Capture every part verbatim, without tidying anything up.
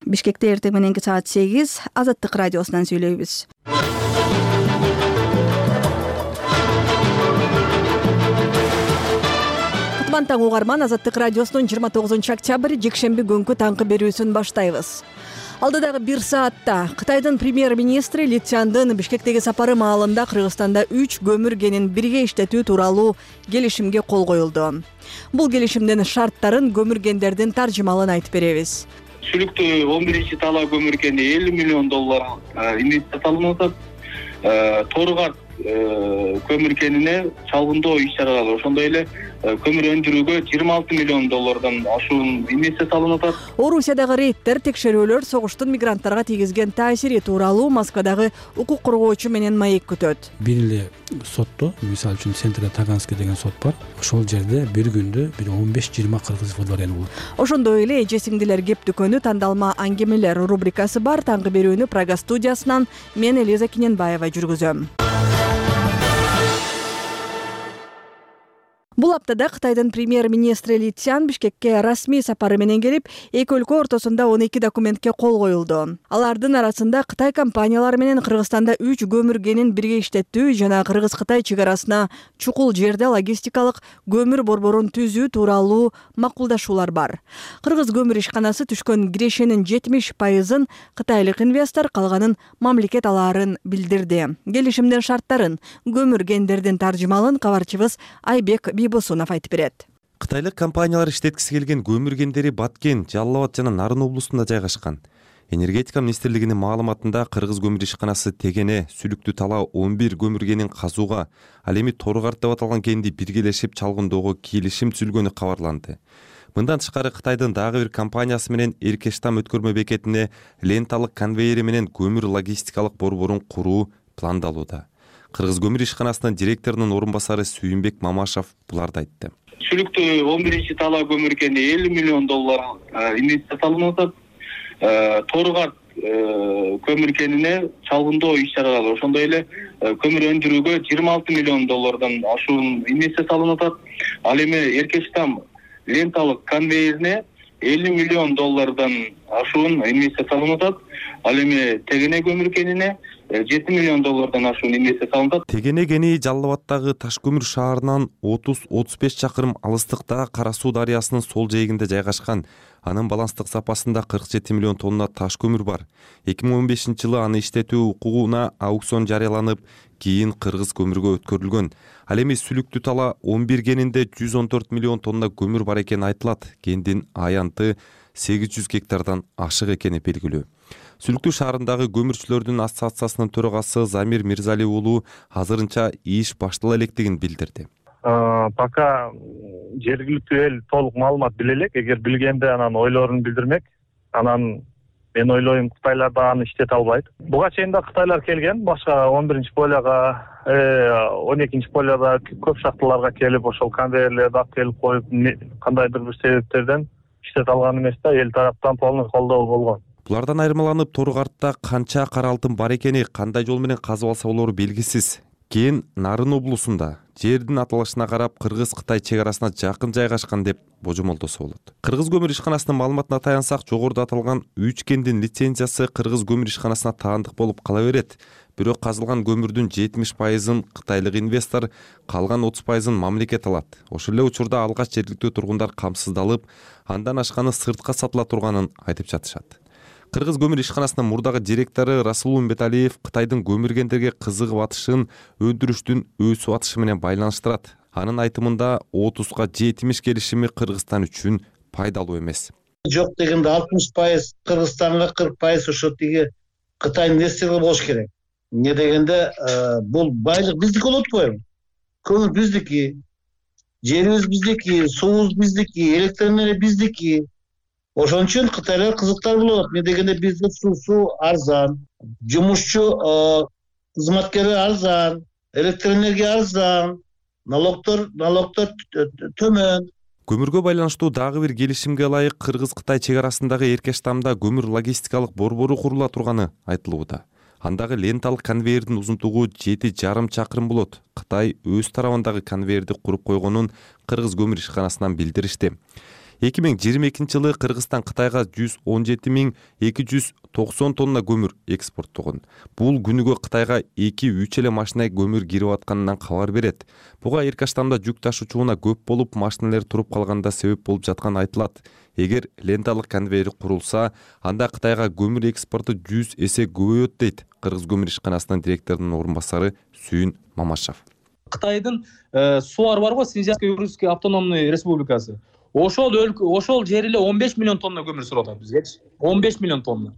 Бишкекте эртең мененки саат сегиз Азаттык радиосунан сүйлөйбүз. Таң угарман, Азаттык радиосунун жыйырма тогузунчу октябрь жекшемби күнкү таңкы берүүсүн баштайбыз. Алдыдагы бир саатта Кытайдын премьер-министри Ли Цзяндын Бишкектеги сапары маалында Кыргызстанда үч көмүр кенин бирге иштетүү тууралуу келишимге кол коюлду. Бул келишимдин шарттарын, көмүр кендердин таржымалын айтып беребиз. Сүлүктүү он биринчи талаа көмүр кени элүү миллион доллар инвестиция салынып атат. Торгат көмүр кенине чалгындоо иш-чаралар, ошондой эле көмүр өндүрүүгө жыйырма алты миллион доллардан ашуун инвестиция салынып атат. Орусиядагы рейдтер, текшерүүлөр согуштун мигранттарга тийгизген таасири тууралуу Москвадагы укук коргоочу менен маек күтөт. Бир эле сотто, мисалы үчүн Центра Таганский деген сот бар. Ошол жерде бир күндө бир он беш жыйырма кыргыз футболдору болот. Ошондой эле эже сиңдилер кеп дүкөнү тандалма аңгемелер рубрикасы бар. Таңкы берүүнү Прага студиясынан мен Элиза Киненбаева жүргүзөм. Бул аптада Кытайдын премьер-министри Ли Цзян Бишкекке расмий сапары менен келип, эки өлкө ортосунда он эки документке кол коюлду. Алардын арасында Кытай компаниялары менен Кыргызстанда үч көмүр кенин бирге иштетүү жана Кыргыз-Кытай чек арасына чукул жерде логистикалык көмүр борборун түзүү тууралуу макулдашуулар бар. Кыргыз көмүр ишканасы түшкөн кирешенин жетимиш пайызын кытайлык инвестор, калганын мамлекет алаарын билдирди. Келишимдин шарттарын, көмүр кендердин таржымалын кабарчыбыз Айбек Босунов айтып берет. Кытайлык компаниялар иштеткиси келген көмүр кендери Баткен, Жалал Абад жана Нарын облусунда жайгашкан. Энергетика министрлигинин маалыматында Кыргыз көмүр ишканасы Тегене, Сүлүктүү талаа он бир көмүр кенин казууга, ал эми Торгарт деп аталган кенди биргелешип чалгындоого келишим түзүлгөнү кабарланды. Мындан тышкары Кытайдын дагы бир компаниясы менен Эркештам өткөрмө бекетине ленталык конвейери менен көмүр логистикалык борборун куруу пландалууда. Кыргыз көмүр ишканасынын директорунун орун басары Сүйүнбек Мамашев буларды айтты. Сүлүктүү он биринчи талаа көмүр кени элүү миллион доллар инвестиция салынып атат. Торгат көмүр кенине чалгындоо иш-чаралар, ошондой эле көмүр өндүрүүгө жыйырма алты миллион доллардан ашуун инвестиция салынып атат. Ал эми Эркештам ленталык конвейерине элүү миллион доллардан ашуун инвестиция салынып атат. Ал эми Тегене көмүр кенине жети миллион доллардан ашуун инвестиция салынат. Тегене кени Жалал Абадтагы Ташкөмүр шаарынан отуз отуз беш чакырым алыстыкта Кара Суу дарыясынын сол жээгинде жайгашкан. Анын баланстык запасында кырк жети миллион тонна таш көмүр бар. эки миң он бешинчи жылы аны иштетүү укугуна аукцион жарыяланып, кийин кыргыз көмүргө өткөрүлгөн. Ал эми Сүлүктүү талаа он бир кенинде жүз он төрт миллион тонна көмүр бар экени айтылат. Кендин аянты сегиз жүз гектардан ашык экени белгилүү. Сүлүктүү шаарындагы көмүрчүлөрдүн ассоциациясынын төрагасы Замир Мирзали уулу азырынча иш баштала электигин билдирди. Пока жергиликтүү эл толук маалымат биле элек, эгер билгенде анан ойлорун билдирмек. Анан мен ойлойм Кытайлар да аны иштете албайт. Буга чейин да Кытайлар келген, башка он биринчи полияга, он экинчи полияда көп шахталарга келип, ошол конвейерлерди алып келип коюп, кандайдыр бир себептерден иштете алган эмес да, эл тараптан полный колдоо болгон. Булардан айырмаланып, Торгартта канча кара алтын бар экени, кандай жол менен казып алса болору белгисиз. Кен Нарын облусунда жердин аталышына карап Кыргыз-Кытай чек арасына жакын жайгашкан деп божомолдосо болот. Кыргыз көмүр ишканасынын маалыматына таянсак, жогоруда аталган үч кендин лицензиясы Кыргыз көмүр ишканасына таандык болуп кала берет. Бирок казылган көмүрдүн жетимиш пайызын кытайлык инвестор, калган отуз пайызын мамлекет алат. Ошол эле учурда алгач жергиликтүү тургундар камсыздалып, андан ашканы сыртка сатыла турганын айтып жатышат. Кыргыз көмүр ишканасынын мурдагы директору Расул Умбеталиев Кытайдын көмүр кендерге кызыгып атышын өндүрүштүн өсүп атышы менен байланыштырат. Анын айтымында отузга жетимиш келишими Кыргызстан үчүн пайдалуу эмес. Жок дегенде алтымыш пайыз Кыргызстанга, кырк пайыз ошо тиги Кытай инвесторго болуш керек. Эмне дегенде бул байлык биздики болот го. Көмүр биздики, жерибиз биздики, суубуз биздики, электр энергия биздики. Ошон үчүн Кытайлар кызыктар болот. Эмне дегенде бизде суусу арзан, жумушчу кызматкери арзан, электр энергия арзан, налогтор налогтор төмөн. Көмүргө байланыштуу дагы бир келишимге ылайык Кыргыз-Кытай чек арасындагы Эркештамда көмүр логистикалык борбору курула турганы айтылууда. Андагы ленталык конвейердин узунтугу жети жарым чакырым болот. Кытай өз тарабындагы конвейерди куруп койгонун Кыргыз көмүр ишканасынан билдиришти. эки миң жыйырма экинчи жылы Кыргызстан Кытайга жүз он жети миң эки жүз токсон тонна көмүр экспорттогон. Бул күнүгө Кытайга эки үч эле машина көмүр кирип атканынан кабар берет. Буга Эркаштамда жүк ташуучуна көп болуп, машиналер туруп калганда себеп болуп жатканы айтылат. Эгер ленталык конвейер курулса, анда Кытайга көмүр экспорту жүз эсе көбөйөт дейт Кыргыз көмүр ишканасынын директорунун орун басары Сүйүн Мамашев. Кытайдын сууар барго, Синьцзянский Уральский автономный республикасы. Ошол өлкө, ошол жер эле он беш миллион тонна көмүр сурап атат бизгечи. он беш миллион тонна.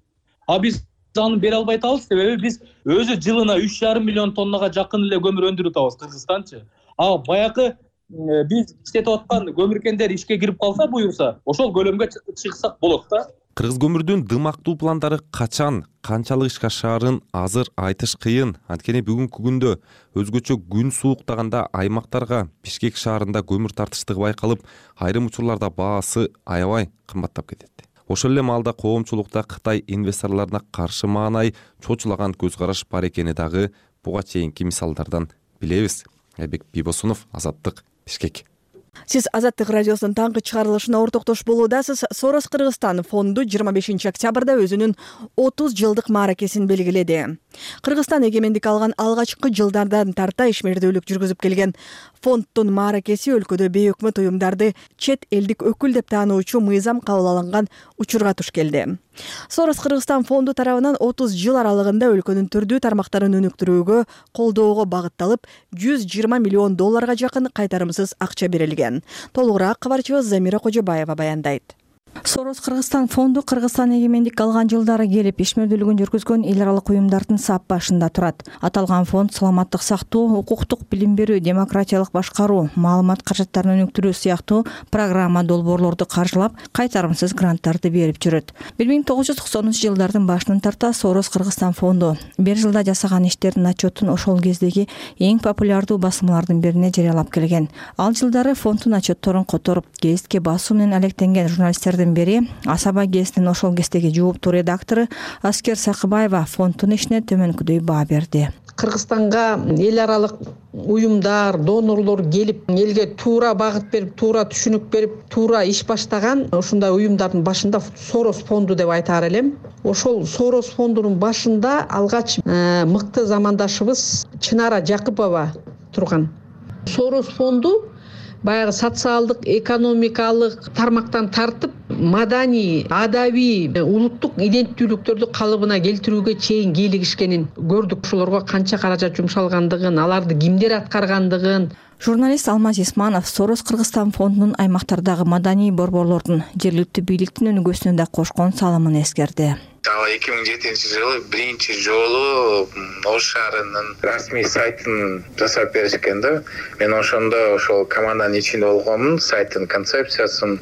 А биз аны бере албай атабыз, себеби биз өзү жылына үч жарым миллион тоннага жакын эле көмүр өндүрүп атабыз Кыргызстанчы. А баягы биз иштетип аткан көмүркендер ишке кирип калса, буюрса, ошол көлөмгө чыксак болот да. Кыргыз көмүрдүн дымактуу пландары качан, канчалык ишке ашаарын азыр айтыш кыйын. Анткени бүгүнкү күндө өзгөчө күн сууктаганда аймактарга Бишкек шаарында көмүр тартыштыгы байкалып, айрым учурларда баасы аябай кымбаттап кетет. Ошол эле маалда коомчулукта Кытай инвесторлоруна каршы маанай чочулаган көз караш бар экени дагы буга чейинки мисалдардан билебиз. Айбек Бибосунов, Азаттык, Бишкек. Сиз Азаттык радиосунун таңкы чыгарылышына ортоктош болуудасыз. Сорос Кыргызстан фонду жыйырма бешинчи октябрда өзүнүн отуз жылдык мааракесин белгиледи. Кыргызстан эгемендик алган алгачкы жылдардан тарта ишмердүүлүк жүргүзүп келген фонддун мааракеси өлкөдө бейөкмөт уюмдарды чет элдик өкүл деп таануучу мыйзам кабыл алынган учурга туш келди. Сорос Кыргызстан фонду тарабынан отуз жыл аралыгында өлкөнүн түрдүү тармактарын өнүктүрүүгө, колдоого багытталып, жүз жыйырма миллион долларга жакын кайтарымсыз акча берилген. Толугураак кабарчыбыз Замира Кожобаева баяндайт. Сорос Кыргызстан фонду Кыргызстан эгемендик алган жылдары келип ишмердүүлүгүн жүргүзгөн эл аралык уюмдардын сап башында турат. Аталган фонд саламаттык сактоо, укуктук билим берүү, демократиялык башкаруу, маалымат каражаттарын өнүктүрүү сыяктуу программа долбоорлорду каржылап, кайтарымсыз гранттарды берип жүрөт. бир миң тогуз жүз токсонунчу жылдардын башынан тарта Сорос Кыргызстан фонду бир жылда жасаган иштердин отчетун ошол кездеги эң популярдуу басмалардын бирине жарыялап келген. Ал жылдары фонддун отчетторун которуп, гезитке басуу менен алектенген журналисттердин бери Асаба гезитинин ошол кездеги жооптуу редактору Аскер Сакыбаева фонддун ишине төмөнкүдөй баа берди. Кыргызстанга эл аралык уюмдар, донорлор келип, элге туура багыт берип, туура түшүнүк берип, туура иш баштаган ушундай уюмдардын башында Сорос фонду деп айтаар элем. Ошол Сорос фондунун башында алгач мыкты замандашыбыз Чынара Жакыпова турган. Сорос фонду баягы социалдык, экономикалык тармактан тартып, маданий, адабий, улуттук иденттүүлүктөрдү калыбына келтирүүгө чейин кийлигишкенин көрдүк. Ошолорго канча каражат жумшалгандыгын, аларды кимдер аткаргандыгын. Журналист Алмаз Исманов Сорос Кыргызстан фондунун аймактардагы маданий борборлордун, жергиликтүү бийликтин өнүгүүсүнө да кошкон салымын эскерди. эки миң жетинчи жылы биринчи жолу Ош шаарынын расмий сайтын жасап беришкен да. Мен ошондо ошол команданын ичинде болгонмун, сайттын концепциясын,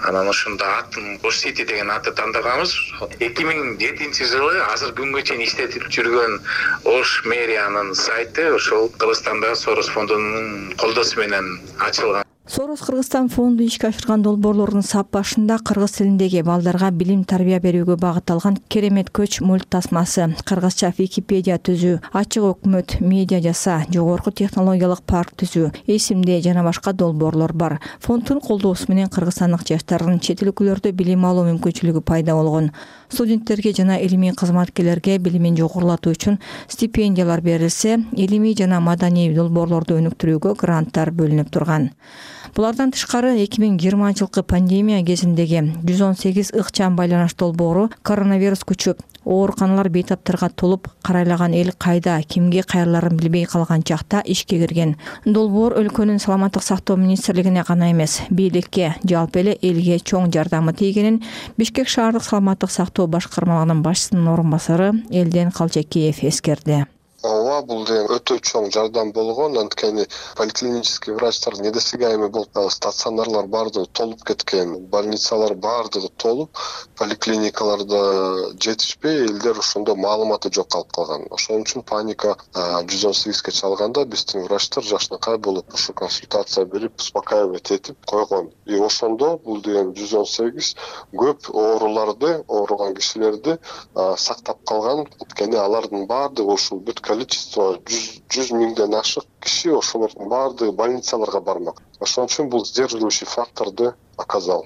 анан ошондо атын Ош Сити деген атты тандаганбыз. эки миң жетинчи жылы азыр күнгө чейин иштетип жүргөн Ош мэриянын сайты ошол Кыргызстанда Сорос фондунун колдоосу менен ачылган. Сорос Кыргызстан фонду ишке ашырган долбоорлордун сап башында кыргыз тилиндеги балдарга билим тарбия берүүгө багытталган Керемет көч мульт тасмасы, кыргызча Википедия түзүү, ачык өкмөт, медиа жаса, жогорку технологиялык парк түзүү, эсимде жана башка долбоорлор бар. Фонддун колдоосу менен кыргызстандык жаштардын чет өлкөлөрдө билим алуу мүмкүнчүлүгү пайда болгон. Студенттерге жана илимий кызматкерлерге билимин жогорулатуу үчүн стипендиялар берилсе, илимий жана маданий долбоорлорду өнүктүрүүгө гранттар бөлүнүп турган. Булардан тышкары эки миң жыйырманчы жылкы пандемия кезиндеги жүз он сегиз ыкчам байланыш долбоору коронавирус күчүп, ооруканалар бейтаптарга толуп, карайлаган эл кайда, кимге кайрыларын билбей калган чакта ишке кирген. Долбоор өлкөнүн саламаттык сактоо министрлигине гана эмес, бийликке, жалпы эле элге чоң жардамы тийгенин Бишкек шаардык саламаттык сактоо башкармалыгынын башчысынын орун басары Элден Калчакеев эскерди. Ооба, бул деген өтө чоң жардам болгон. Анткени поликлинический врачтар недесиге эми болуп, стационарлар баардыгы толуп кеткен, больницалар баардыгы толуп, поликлиникаларда жетишпей, элдер ошондо маалыматы жок калып калган. Ошон үчүн паника жүз он сегизге чалганда биздин врачтар жакшынакай болуп, ушу консультация берип, успокаивать этип койгон. И ошондо бул деген жүз он сегиз көп ооруларды, ооруган кишилерди сактап калган. Анткени алардын баардыгы ушул бүт количество количество жүз миңден ашык киши ошолордун баардыгы больницаларга бармак. Ошон үчүн бул сдерживающий факторду оказал.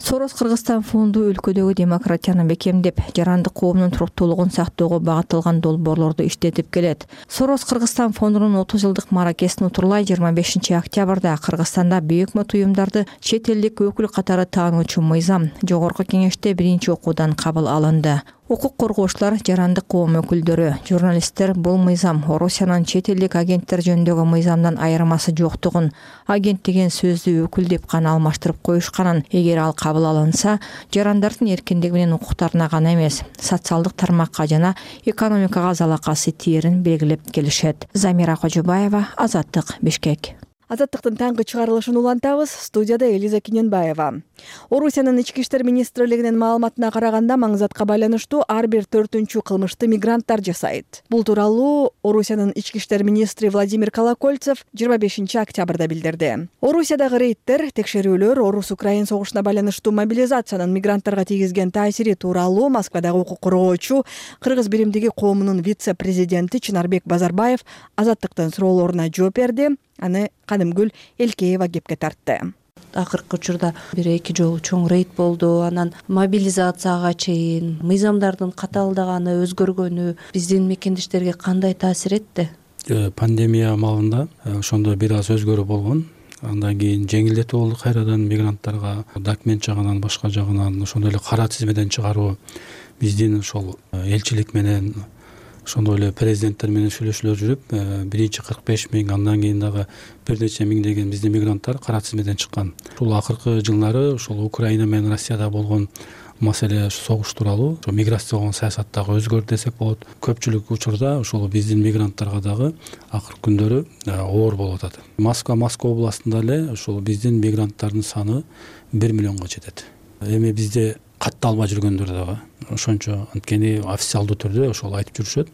Сорос Кыргызстан фонду өлкөдөгү демократияны бекемдеп, жарандык коомдун туруктуулугун сактоого багытталган долбоорлорду иштетип келет. Сорос Кыргызстан фондунун отуз жылдык мааракесин утурлай жыйырма бешинчи октябрда Кыргызстанда бейөкмөт уюмдарды чет элдик өкүл катары таануучу мыйзам жогорку кеңеште биринчи окуудан кабыл алынды. Укук коргоочулар, жарандык коом өкүлдөрү, журналисттер бул мыйзам Орусиянын чет элдик агенттер жөнүндөгү мыйзамдан айырмасы жоктугун, агент деген сөздү өкүл деп гана алмаштырып коюшканын, эгер ал кабыл алынса, жарандардын эркиндиги менен укуктарына гана эмес, социалдык тармакка жана экономикага залакасы тиерин белгилеп келишет. Замира Кожобаева, Азаттык, Бишкек. Азаттыктын таңкы чыгарылышын улантабыз. Студияда Элиза Киненбаева. Орусиянын ички иштер министрлигинин маалыматына караганда, маңзатка байланыштуу ар бир төртүнчү кылмышты мигранттар жасайт. Бул тууралуу Орусиянын ички иштер министри Владимир Колокольцев жыйырма бешинчи октябрда билдирди. Орусиядагы рейдтер, текшерүүлөр Орус-Украин согушуна байланыштуу мобилизациянын мигранттарга тийгизген таасири тууралуу Москвадагы укук коргоочу Кыргыз биримдиги коомунун вице-президенти Чынарбек Базарбаев Азаттыктын суроолоруна жооп берди. Аны Кадымгүл Элкеева кепке тартты. Акыркы учурда бир эки жолу чоң рейд болду. Анан мобилизацияга чейин мыйзамдардын катаалдаганы, өзгөргөнү биздин мекендештерге кандай таасир этти? Пандемия маалында ошондо бир аз өзгөрүү болгон. Андан кийин жеңилдетүү болду, кайрадан мигранттарга документ жагынан, башка жагынан ошондой эле кара тизмеден чыгаруу биздин ошол элчилик менен, ошондой эле президенттер менен сүйлөшүүлөр жүрүп, биринчи кырк беш миң, андан кийин дагы бир нече миң деген биздин мигранттар кара тизмеден чыккан. Ушул акыркы жылдары ошол Украина менен Россияда болгон маселе согуш тууралуу миграциялык саясат дагы өзгөрдү десек болот. Көпчүлүк учурда ошол биздин мигранттарга дагы акыркы күндөрү оор болуп атат. Москва, Москва областында эле ошол биздин мигранттардын саны бир миллионго жетет. Эми бизде катталбай жүргөндөр дагы ошончо, анткени официалдуу түрдө ошол айтып жүрүшөт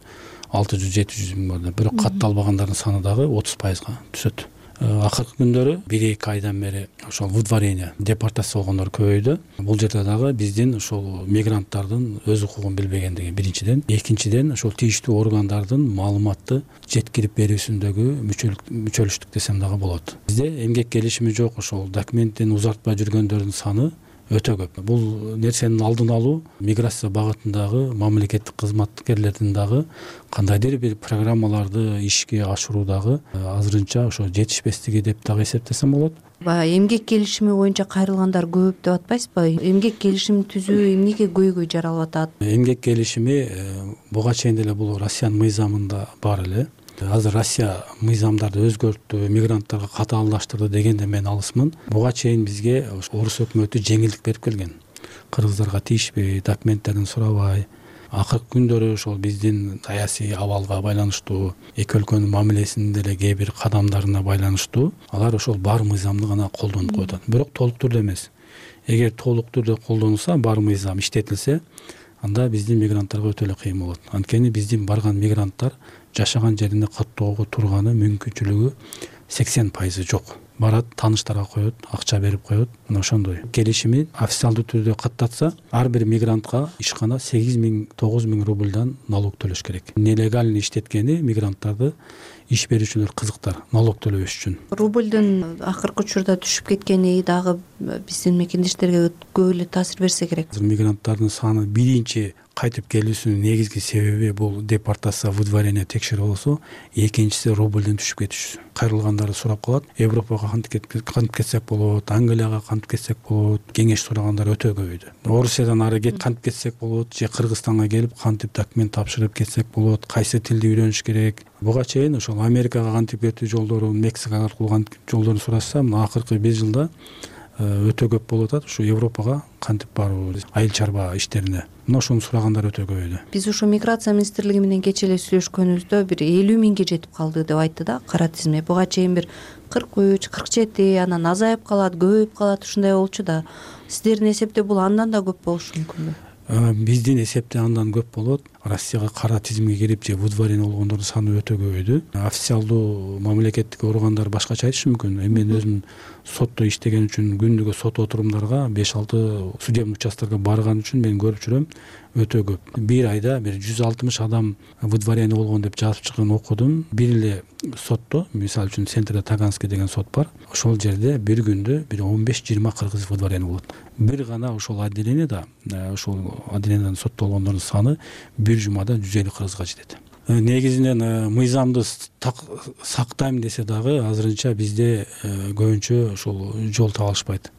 алты жүз жети жүз миң бар, бирок катталбагандардын саны дагы отуз пайызга түшөт. Акыркы күндөрү бир эки айдан бери ошол выдворение, депортация болгондор көбөйдү. Бул жерде дагы биздин ошол мигранттардын өз укугун билбегендиги биринчиден, экинчиден ошол тийиштүү органдардын маалыматты жеткирип берүүсүндөгү мүчөлүштүк десем дагы болот. Бизде эмгек келишими жок, ошол документтин узартпай жүргөндөрдүн саны өтө көп. Бул нерсенин алдын алуу миграция багытындагы мамлекеттик кызматкерлердин дагы кандайдыр бир программаларды ишке ашыруудагы азырынча ошо жетишпестиги деп дагы эсептесем болот. Баягы эмгек келишими боюнча кайрылгандар көп деп атпайсызбы? Эмгек келишимин түзүү эмнеге көйгөй жаралып атат? Эмгек келишими буга чейин деле бул Россиянын мыйзамында бар эле. Азыр Россия мыйзамдарды өзгөрттү, мигранттарга катаалдаштырды дегенде мен алысмын. Буга чейин бизге орус өкмөтү жеңилдик берип келген. Кыргыздарга тийишпей, документтерин сурабай. Акыркы күндөрү ошол биздин саясий абалга байланыштуу, эки өлкөнүн мамилесинин деле кээ бир кадамдарына байланыштуу алар ошол бар мыйзамды гана колдонуп коюп атат. Бирок толук түрдө эмес. Эгер толук түрдө колдонулса, бар мыйзам иштетилсе, анда биздин мигранттарга өтө эле кыйын болот. Анткени биздин барган мигранттар жашаган жерине каттоого турганы мүмкүнчүлүгү сексен пайызы жок. Барат, тааныштарга коет, акча берип коет. Мына ошондой. Келишими официалдуу түрдө каттатса, ар бир мигрантка ишкана сегиз миң тогуз миң рубльдан налог төлөш керек. Нелегально иштеткени мигранттарды иш берүүчүлөр кызыктар налог төлөбөш үчүн. Рубльдун акыркы учурда түшүп кеткени дагы биздин мекендештерге көп эле таасир берсе керек. Мигранттардын саны биринчи кайтып келүүсүнүн негизги себеби бул депортация, выдворение текшерүү болсо, экинчиси рубльден түшүп кетиши. Кайрылгандарды сурап калат, Европага кантип кетсек болот, Англияга кантип кетсек болот, кеңеш сурагандар өтө көбөйдү. Орусиядан ары кет кантип кетсек болот, же Кыргызстанга келип кантип документ тапшырып кетсек болот, кайсы тилди үйрөнүш керек. Буга чейин ошол Америкага кантип кетүү жолдорун, Мексика аркылуу кантип жолдорун сурашса, мына акыркы беш жылда өтө көп болуп атат. Ушу Европага кантип баруу, айыл чарба иштерине. Мына ошону сурагандар өтө көбөйдү. Биз ушу миграция министрлиги менен кечээ эле сүйлөшкөнүбүздө бир элүү миңге жетип калды деп айтты да кара тизме. Буга чейин бир кырк үч, кырк жети, анан азайып калат, көбөйүп калат, ушундай болчу да. Сиздердин эсепте бул андан да көп болушу мүмкүнбү? Биздин эсепте андан көп болот. Россияга кара тизимге кирип же выдворение болгондордун саны өтө көбөйдү. Официалдуу мамлекеттик органдар башкача айтышы мүмкүн. Эми мен өзүм сотто иштеген үчүн күндүгө сот отурумдарга беш алты судебный участкага барган үчүн мен көрүп жүрөм, өтө көп. Бир айда бир жүз алтымыш адам выдворение болгон деп жазып чыккан окудум. Бир эле сотто, мисалы үчүн Центрде Таганский деген сот бар. Ошол жерде бир күндө бир он беш жыйырма кыргыз выдворение болот. Бир гана ошол отделениеда, ошол отделениедан соттолгондордун саны бир жумада жүз элүү кыргызга жетет. Негизинен мыйзамды сактайм десе дагы азырынча бизде көбүнчө ошол жол таба алышпайт.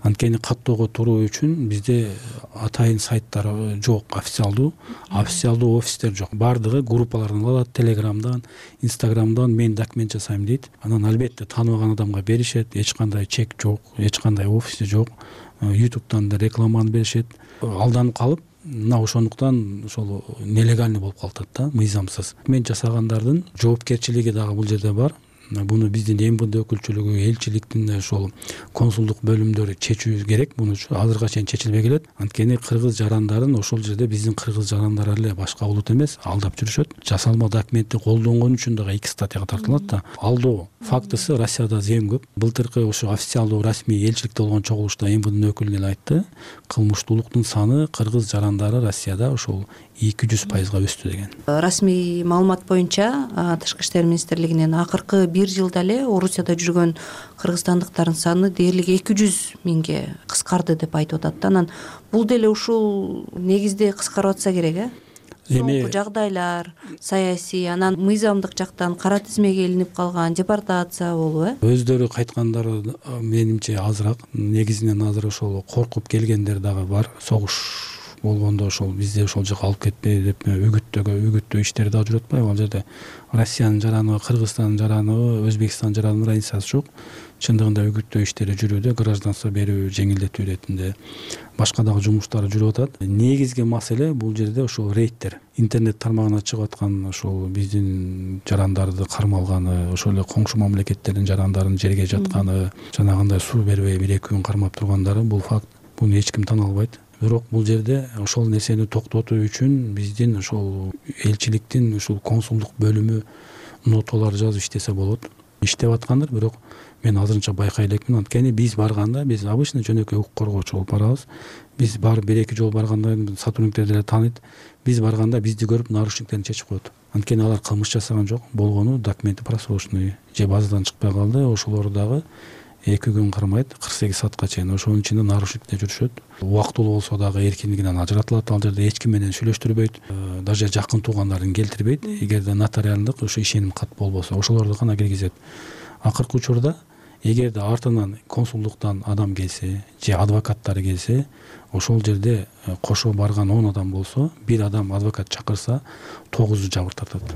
Анткени каттоого туруу үчүн бизде атайын сайттар жок, официалдуу, официалдуу офистер жок. Бардыгы группалардан алат, Телеграмдан, Инстаграмдан мен документ жасайм дейт. Анан албетте тааныбаган адамга беришет, эч кандай чек жок, эч кандай офиси жок. ютубтан да рекламаны беришет. Алданып калып, мына ошондуктан ошол нелегальный болуп калат да, мыйзамсыз. Мен жасагандардын жоопкерчилиги дагы бул жерде бар. Буну биздин эм бэ дэ өкүлчүлүгү, элчиликтин ошол консулдук бөлүмдөрү чечүү керек. Буну азырга чейин чечилбей келет. Анткени кыргыз жарандарын ошол жерде биздин кыргыз жарандар эле, башка улут эмес, алдап жүрүшөт. Жасалма документти колдонгон үчүн дагы эки статьяга тартылат да. Алдоо фактысы Россияда зем көп. Былтыркы ошо официалдуу расмий элчиликте болгон чогулушта эм бэ дэнин өкүлү эле айтты. Кылмыштуулуктун саны кыргыз жарандары Россияда ошол эки жүз пайызга өстү деген. Расмий маалымат боюнча Тышкы иштер министрлигинин акыркы бир жылда эле Орусияда жүргөн кыргызстандыктардын саны дээрлик эки жүз миңге кыскарды деп айтып атат. Анан бул деле ушул негизде кыскарып атса керек, э? Эми жагдайлар, саясий, анан мыйзамдык жактан кара тизмеге илинип калган, депортация болуп, э? Өздөрү кайткандары менимче азыраак. Негизинен азыр ошол коркуп келгендер дагы бар. Согуш болгондо ошол бизде ошол жака алып кетпей деп үгүттөгө үгүттөө иштери дагы жүрүп атпайбы? Ал жерде Россиянын жараны, Кыргызстандын жараны, Өзбекстандын жаранынын разницасы жок. Чындыгында үгүттөө иштери жүрүүдө, гражданство берүү, жеңилдетүү иретинде башка дагы жумуштары жүрүп атат. Негизги маселе бул жерде ошол рейдтер. Интернет тармагына чыгып аткан ошол биздин жарандарды кармалганы, ошол эле коңшу мамлекеттердин жарандарын жерге жатканы, жанагындай суу бербей бир эки күн кармап тургандары бул факт. Буну эч ким тана албайт. Бирок бул жерде ошол нерсени токтотуу үчүн биздин ошол элчиликтин ошол консулдук бөлүмү ноталар жазып иштесе болот. Иштеп аткандыр, бирок мен азырынча байкай элекмин. Анткени биз барганда, биз обычный жөнөкөй укук коргоочу болуп барабыз. Биз барып бир эки жолу барганда сотрудниктер деле тааныйт. Биз барганда бизди көрүп нарушниктерин чечип коет. Анткени алар кылмыш жасаган жок, болгону документи просрочный же базадан чыкпай калды. Ошолор дагы эки күн кармайт, кырк сегиз саатка чейин ошонун ичинде нарушникте жүрүшөт. Убактылуу болсо дагы эркиндигинен ажыратылат. Ал жерде эч ким менен сүйлөштүрбөйт, даже жакын туугандарын келтирбейт. Эгерде нотариалдык ошо ишеним кат болбосо, ошолорду гана киргизет. Акыркы учурда эгерде артынан консулдуктан адам келсе же адвокаттары келсе, ошол жерде кошо барган он адам болсо, бир адам адвокат чакырса, тогузу жабыр тартат.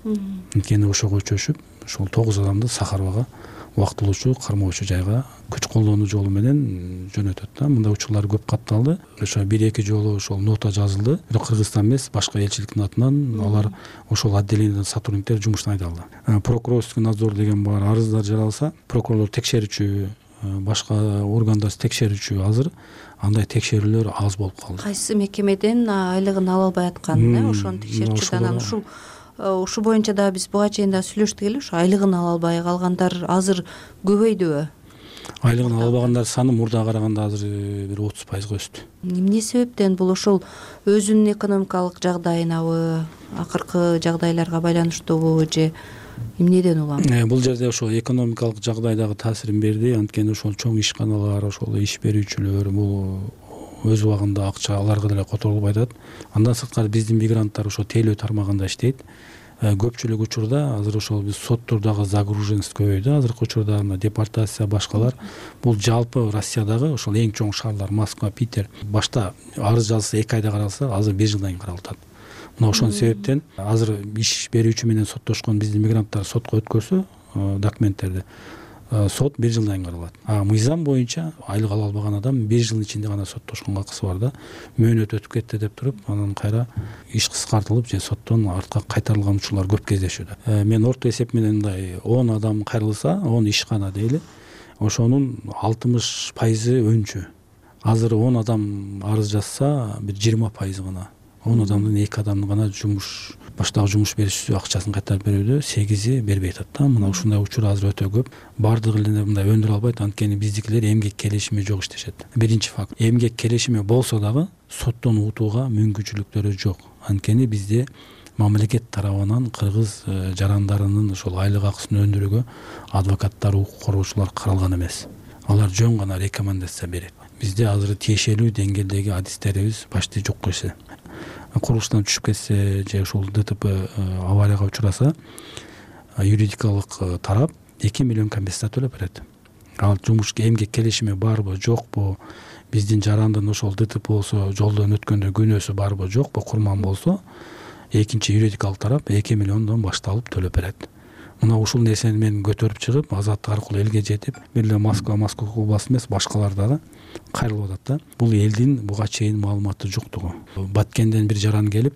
Анткени ошого чөшүп, ошол тогуз адамды Сахарбага убактылуучу кармоочу жайга күч колдонуу жолу менен жөнөтөт да. Мындай учурлар көп катталды. Ошо бир эки жолу ошол нота жазылды. Бирок Кыргызстан эмес, башка элчиликтин атынан алар ошол отделениеден сотрудниктер жумуштан айдалды. Прокурорский надзор деген бар, арыздар жаралса, прокурорлор текшерүүчү, башка органдар текшерүүчү азыр андай текшерүүлөр аз болуп калды. Кайсы мекемеден айлыгын ала албай аткан, э, ошону текшерчү анан ушул Ушу боюнча да биз буга чейин да сүйлөштүк эле, ушу айлыгын ала албай калгандар азыр көбөйдүбү? Айлыгын ала албагандар саны мурдага караганда азыр бир отуз пайызга өстү. Эмне себептен? Бул ошол өзүнүн экономикалык жагдайынабы, акыркы жагдайларга байланыштуубу же эмнеден улам? Бул жерде ошол экономикалык жагдай дагы таасирин берди. Анткени ошол чоң ишканалар, ошол иш берүүчүлөр бул өз убагында акча аларга деле которулуп атат. Андан сырткары биздин мигранттар ошо тейлөө тармагында иштейт. Көпчүлүк учурда азыр ошол биз соттурдагы загруженность көбөйдү. Азыркы учурда депортация башкалар бул жалпы Россиядагы ошол эң чоң шаарлар Москва, Питер. Башта арыз жазылса эки айда каралса, азыр бир жылдан кийин каралып атат. Мына ошон себептен азыр иш берүүчү менен соттошкон биздин мигранттар сотко өткөрсө документтерди, сот бир жылдан кийин каралат. А мыйзам боюнча айлык ала албаган адам бир жылдын ичинде гана соттошконго акысы бар да. Мөөнөт өтүп кетти деп туруп, анан кайра иш кыскартылып же соттон артка кайтарылган учурлар көп кездешүүдө. Мен орто эсеп менен мындай он адам кайрылса, он ишкана дейли, ошонун алтымыш пайызы өнчү. Азыр он адам арыз жазса, бир жыйырма пайыз гана. он адамдын эки адам гана жумуш баштагы жумуш берүүчүсү акчасын кайтарып берүүдө, сегизи бербей атат да. Мына ушундай учур азыр өтө көп. Бардыгы эле мындай өндүрө албайт, анткени биздикилер эмгек келишими жок иштешет. Биринчи факт. Эмгек келишими болсо дагы соттон утууга мүмкүнчүлүктөрү жок. Анткени бизде мамлекет тарабынан кыргыз жарандарынын ошол айлык акысын өндүрүүгө адвокаттар, укук коргоочулар каралган эмес. Алар жөн гана рекомендация берет. Бизде азыр тиешелүү деңгээлдеги адистерибиз почти жок койсо. Курулуштан түшүп кетсе же ушул ДТП аварияга учураса, юридикалык тарап эки миллион компенсация төлөп берет. Ал жумуш эмгек келишими барбы, жокпу, биздин жарандын ошол ДТП болсо, жолдон өткөндө күнөөсү барбы, жокпу, курман болсо, экинчи юридикалык тарап эки миллиондон башталып төлөп берет. Мына ушул нерсени мен көтөрүп чыгып, азаттык аркылуу элге жетип, бир эле Москва, Москва областы эмес, башкалар дагы кайрылып атат да. Бул элдин буга чейин маалыматы жоктугу. Баткенден бир жаран келип,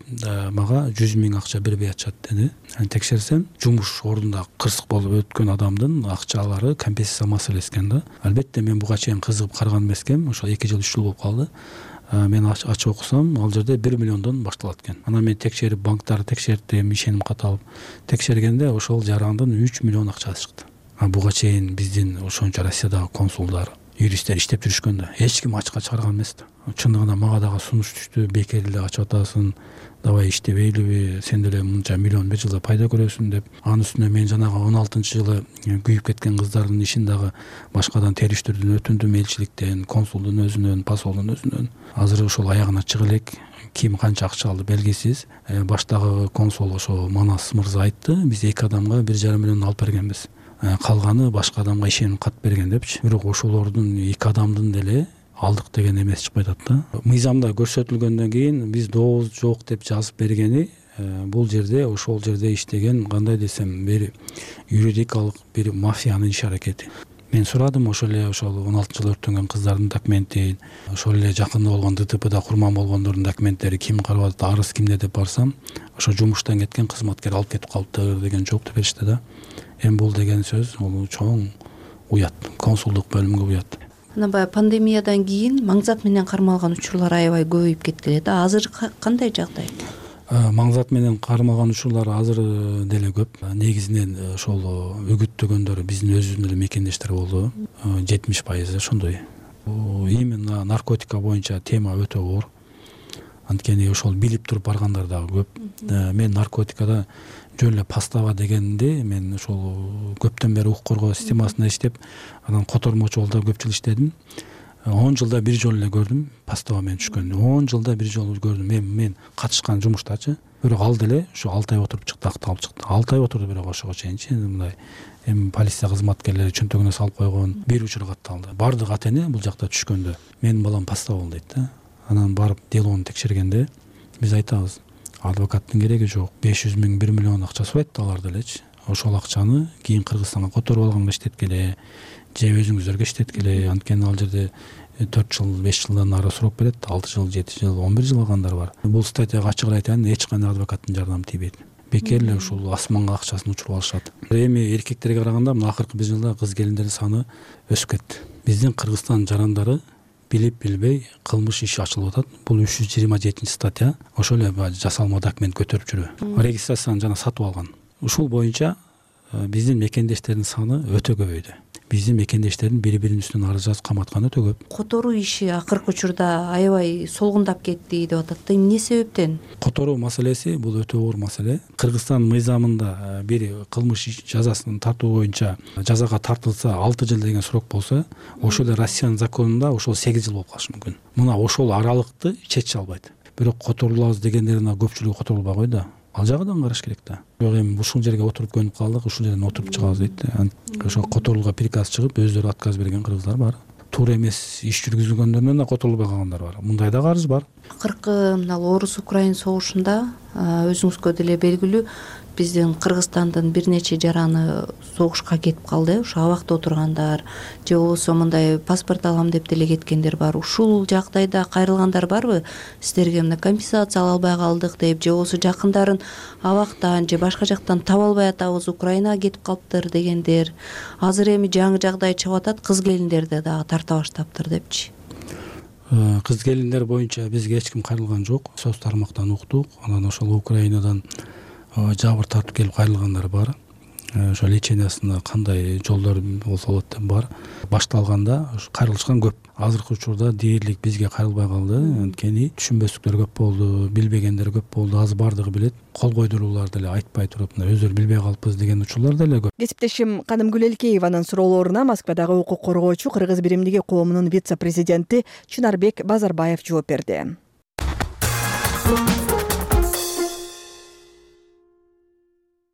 мага жүз миң акча бербей атышат деди. Текшерсем, жумуш ордунда кырсык болуп өткөн адамдын акчалары компенсация маселеси экен да. Албетте мен буга чейин кызыгып караган эмескем, ошо эки жыл, үч жыл болуп калды. Мен ачып окусам, ал жерде бир миллиондон башталат экен. Анан мен текшерип, банктарды текшердим, ишеним кат алып, текшергенде ошол жарандын үч миллион акчасы чыкты. Буга чейин биздин ошончо Россиядагы консулдар, юристтер иштеп жүрүшкөн да, эч ким ачыкка чыгарган эмес да. Чындыгында мага дагы сунуш түштү, бекер эле ачып атасың, давай иштебейлиби, сен деле мынча миллион бир жылда пайда көрөсүң деп. Анын үстүнө мен жанагы он алтынчы жылы күйүп кеткен кыздардын ишин дагы башкадан териштирүүдөн өтүндүм, элчиликтен, консулдун өзүнөн, посолдун өзүнөн. Азыр ошол аягына чыга элек, ким канча акча алды белгисиз. Баштагы консул ошо Манас мырза айтты, биз эки адамга бир жарым миллион алып бергенбиз. Калганы башка адамга ишенип кат берген депчи. Бирок ошолордун эки адамдын деле алдык деген эмес чыкпай атат да. Мыйзамда көрсөтүлгөндөн кийин биз добуз жок деп жазып бергени бул жерде ошол жерде иштеген кандай десем бир юридикалык бир мафиянын иш аракети. Мен сурадым ошол эле ошол он алтынчы жылы өрттөнгөн кыздардын документин, ошол эле жакында болгон ДТПда курман болгондордун документтери ким карап атат, арыз кимде деп барсам, ошо жумуштан кеткен кызматкер алып кетип калыптыр деген жоопту беришти да. Эми бул деген сөз бул чоң уят, консулдук бөлүмгө уят. Анан баягы пандемиядан кийин маңзат менен кармалган учурлар аябай көбөйүп кеткеле да. Азыр кандай жагдай? Маңзат менен кармалган учурлар азыр деле көп. Негизинен ошол үгүттөгөндөр биздин өзүбүздүн эле мекендештер болду. жетимиш пайызы ошондой. Именно наркотика боюнча тема өтө оор. Анткени ошол билип туруп баргандар дагы көп. Мен наркотикада жөн эле пастава дегенди мен ошол көптөн бери укук коргоо системасында иштеп, анан котормочу болду көп жыл иштедим. он жылда бир жолу эле көрдүм пастава менен түшкөндү. он жылда бир жолу көрдүм. Мен мен катышкан жумуштачы. Бирок ал деле ушу алты ай отуруп чыкты, акталып чыкты. алты ай отурду бирок ошого чейинчи мындай эми полиция кызматкерлери чөнтөгүнө салып койгон бир учур катталды. Бардык ата эне бул жакта түшкөндө менин балам пастава болду дейт да. Анан барып делону текшергенде биз айтабыз, адвокаттын кереги жок. беш жүз миң, бир миллион акча сурайт алар делечи. Ошол акчаны кийин Кыргызстанга которуп алганга иштеткиле, же өзүңүздөргө иштеткиле. Анткени ал жерде төрт жыл, беш жылдан нары сурап берет, алты жыл, жети жыл, он бир жыл алгандар бар. Бул статьяга ачык эле айтайын, эч кандай адвокаттын жардамы тийбейт. Бекер эле ушул асманга акчасын учуруп алышат. Эми эркектерге караганда мына акыркы бир жылда кыз келиндердин саны өсүп кетти. Биздин Кыргызстан жарандары билип билбей кылмыш иши ачылып атат. Бул үч жүз жыйырма жетинчи статья. Ошол эле жасалма документ көтөрүп жүрүү. Регистрацияны жана сатып алган. Ушул боюнча биздин мекендештердин саны өтө көбөйдү. Биздин мекендештердин бири-биринин үстүнөн арыз жазып каматканы өтө көп. Которуу иши акыркы учурда аябай солгундап кетти деп атат да. Эмне себептен? Которуу маселеси бул өтө оор маселе. Кыргызстан мыйзамында бир кылмыш жазасын тартуу боюнча жазага тартылса алты жыл деген срок болсо, ошол эле Россиянын законунда ошол сегиз жыл болуп калышы мүмкүн. Мына ошол аралыкты чече албайт. Бирок которулабыз дегендеринин көпчүлүгү которулбай койду. Ал жагынан караш керек да. Бирок эми ушул жерге отуруп көнүп калдык, ушул жерден отуруп чыгабыз дейт да. Ошо которууга приказ чыгып, өздөрү отказ берген кыргыздар бар. Туура эмес иш жүргүзгөндөрүнөн да которулбай калгандар бар. Мындай да арыз бар. Акыркы мына Орус-Украин согушунда өзүңүзгө деле белгилүү, биздин Кыргызстандын бир нече жараны согушка кетип калды. Ошо абакта отургандар же болбосо мындай паспорт алам деп деле кеткендер бар. Ушул жагдайда кайрылгандар барбы? Сиздерге мына компенсация ала албай калдык деп, же болбосо жакындарын абактан же башка жактан таба албай атабыз, Украинага кетип калыптыр дегендер. Азыр эми жаңы жагдай чыгып атат, кыз келиндерди дагы тарта баштаптыр депчи. кыз келиндер боюнча бизге эч ким кайрылган жок. Соц тармактан уктук. Анан ошол Украинадан жабыр тартып келип кайрылгандар бар. Ошо лечениясында кандай жолдор болсо болот деп бар. Башталганда кайрылышкан көп. Азыркы учурда дээрлик бизге кайрылбай калды. Анткени түшүнбөстүктөр көп болду, билбегендер көп болду. Азыр бардыгы билет. Кол койдуруулар деле айтпай туруп, өздөрү билбей калыппыз деген учурлар деле көп. Кесиптешим Канымгүл Элкееванын суроолоруна Москвадагы укук коргоочу Кыргыз биримдиги коомунун вице-президенти Чынарбек Базарбаев жооп берди.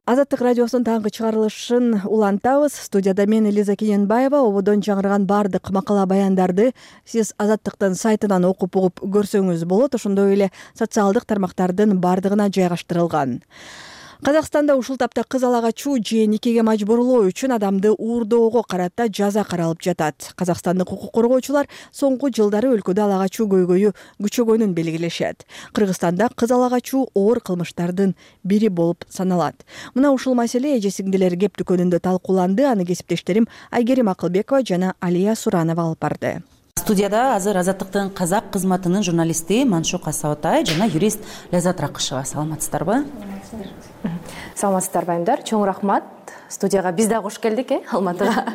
Азаттык радиосунун таңкы чыгарылышын улантабыз. Студияда мен Элиза Кененбаева. Ободон жаңырган бардык макала баяндарды сиз Азаттыктын сайтынан окуп угуп көрсөңүз болот. Ошондой эле социалдык тармактардын бардыгына жайгаштырылган. Казакстанда ушул тапта кыз ала качуу же никеге мажбурлоо үчүн адамды уурдоого карата жаза каралып жатат. Казакстандык укук коргоочулар соңку жылдары өлкөдө ала качуу көйгөйү күчөгөнүн белгилешет. Кыргызстанда кыз ала качуу оор кылмыштардын бири болуп саналат. Мына ушул маселе эже сиңдилер кеп дүкөнүндө талкууланды. Аны кесиптештерим Айгерим Акылбекова жана Алия Суранова алып барды. Студияда азыр Азаттыктын казак кызматынын журналисти Маншук Асаотай жана юрист Ляззат Ракышева. Саламатсыздарбы? Саламатсыздарбы айымдар. Чоң рахмат. Студияга биз да кош келдик, э, Алматыга.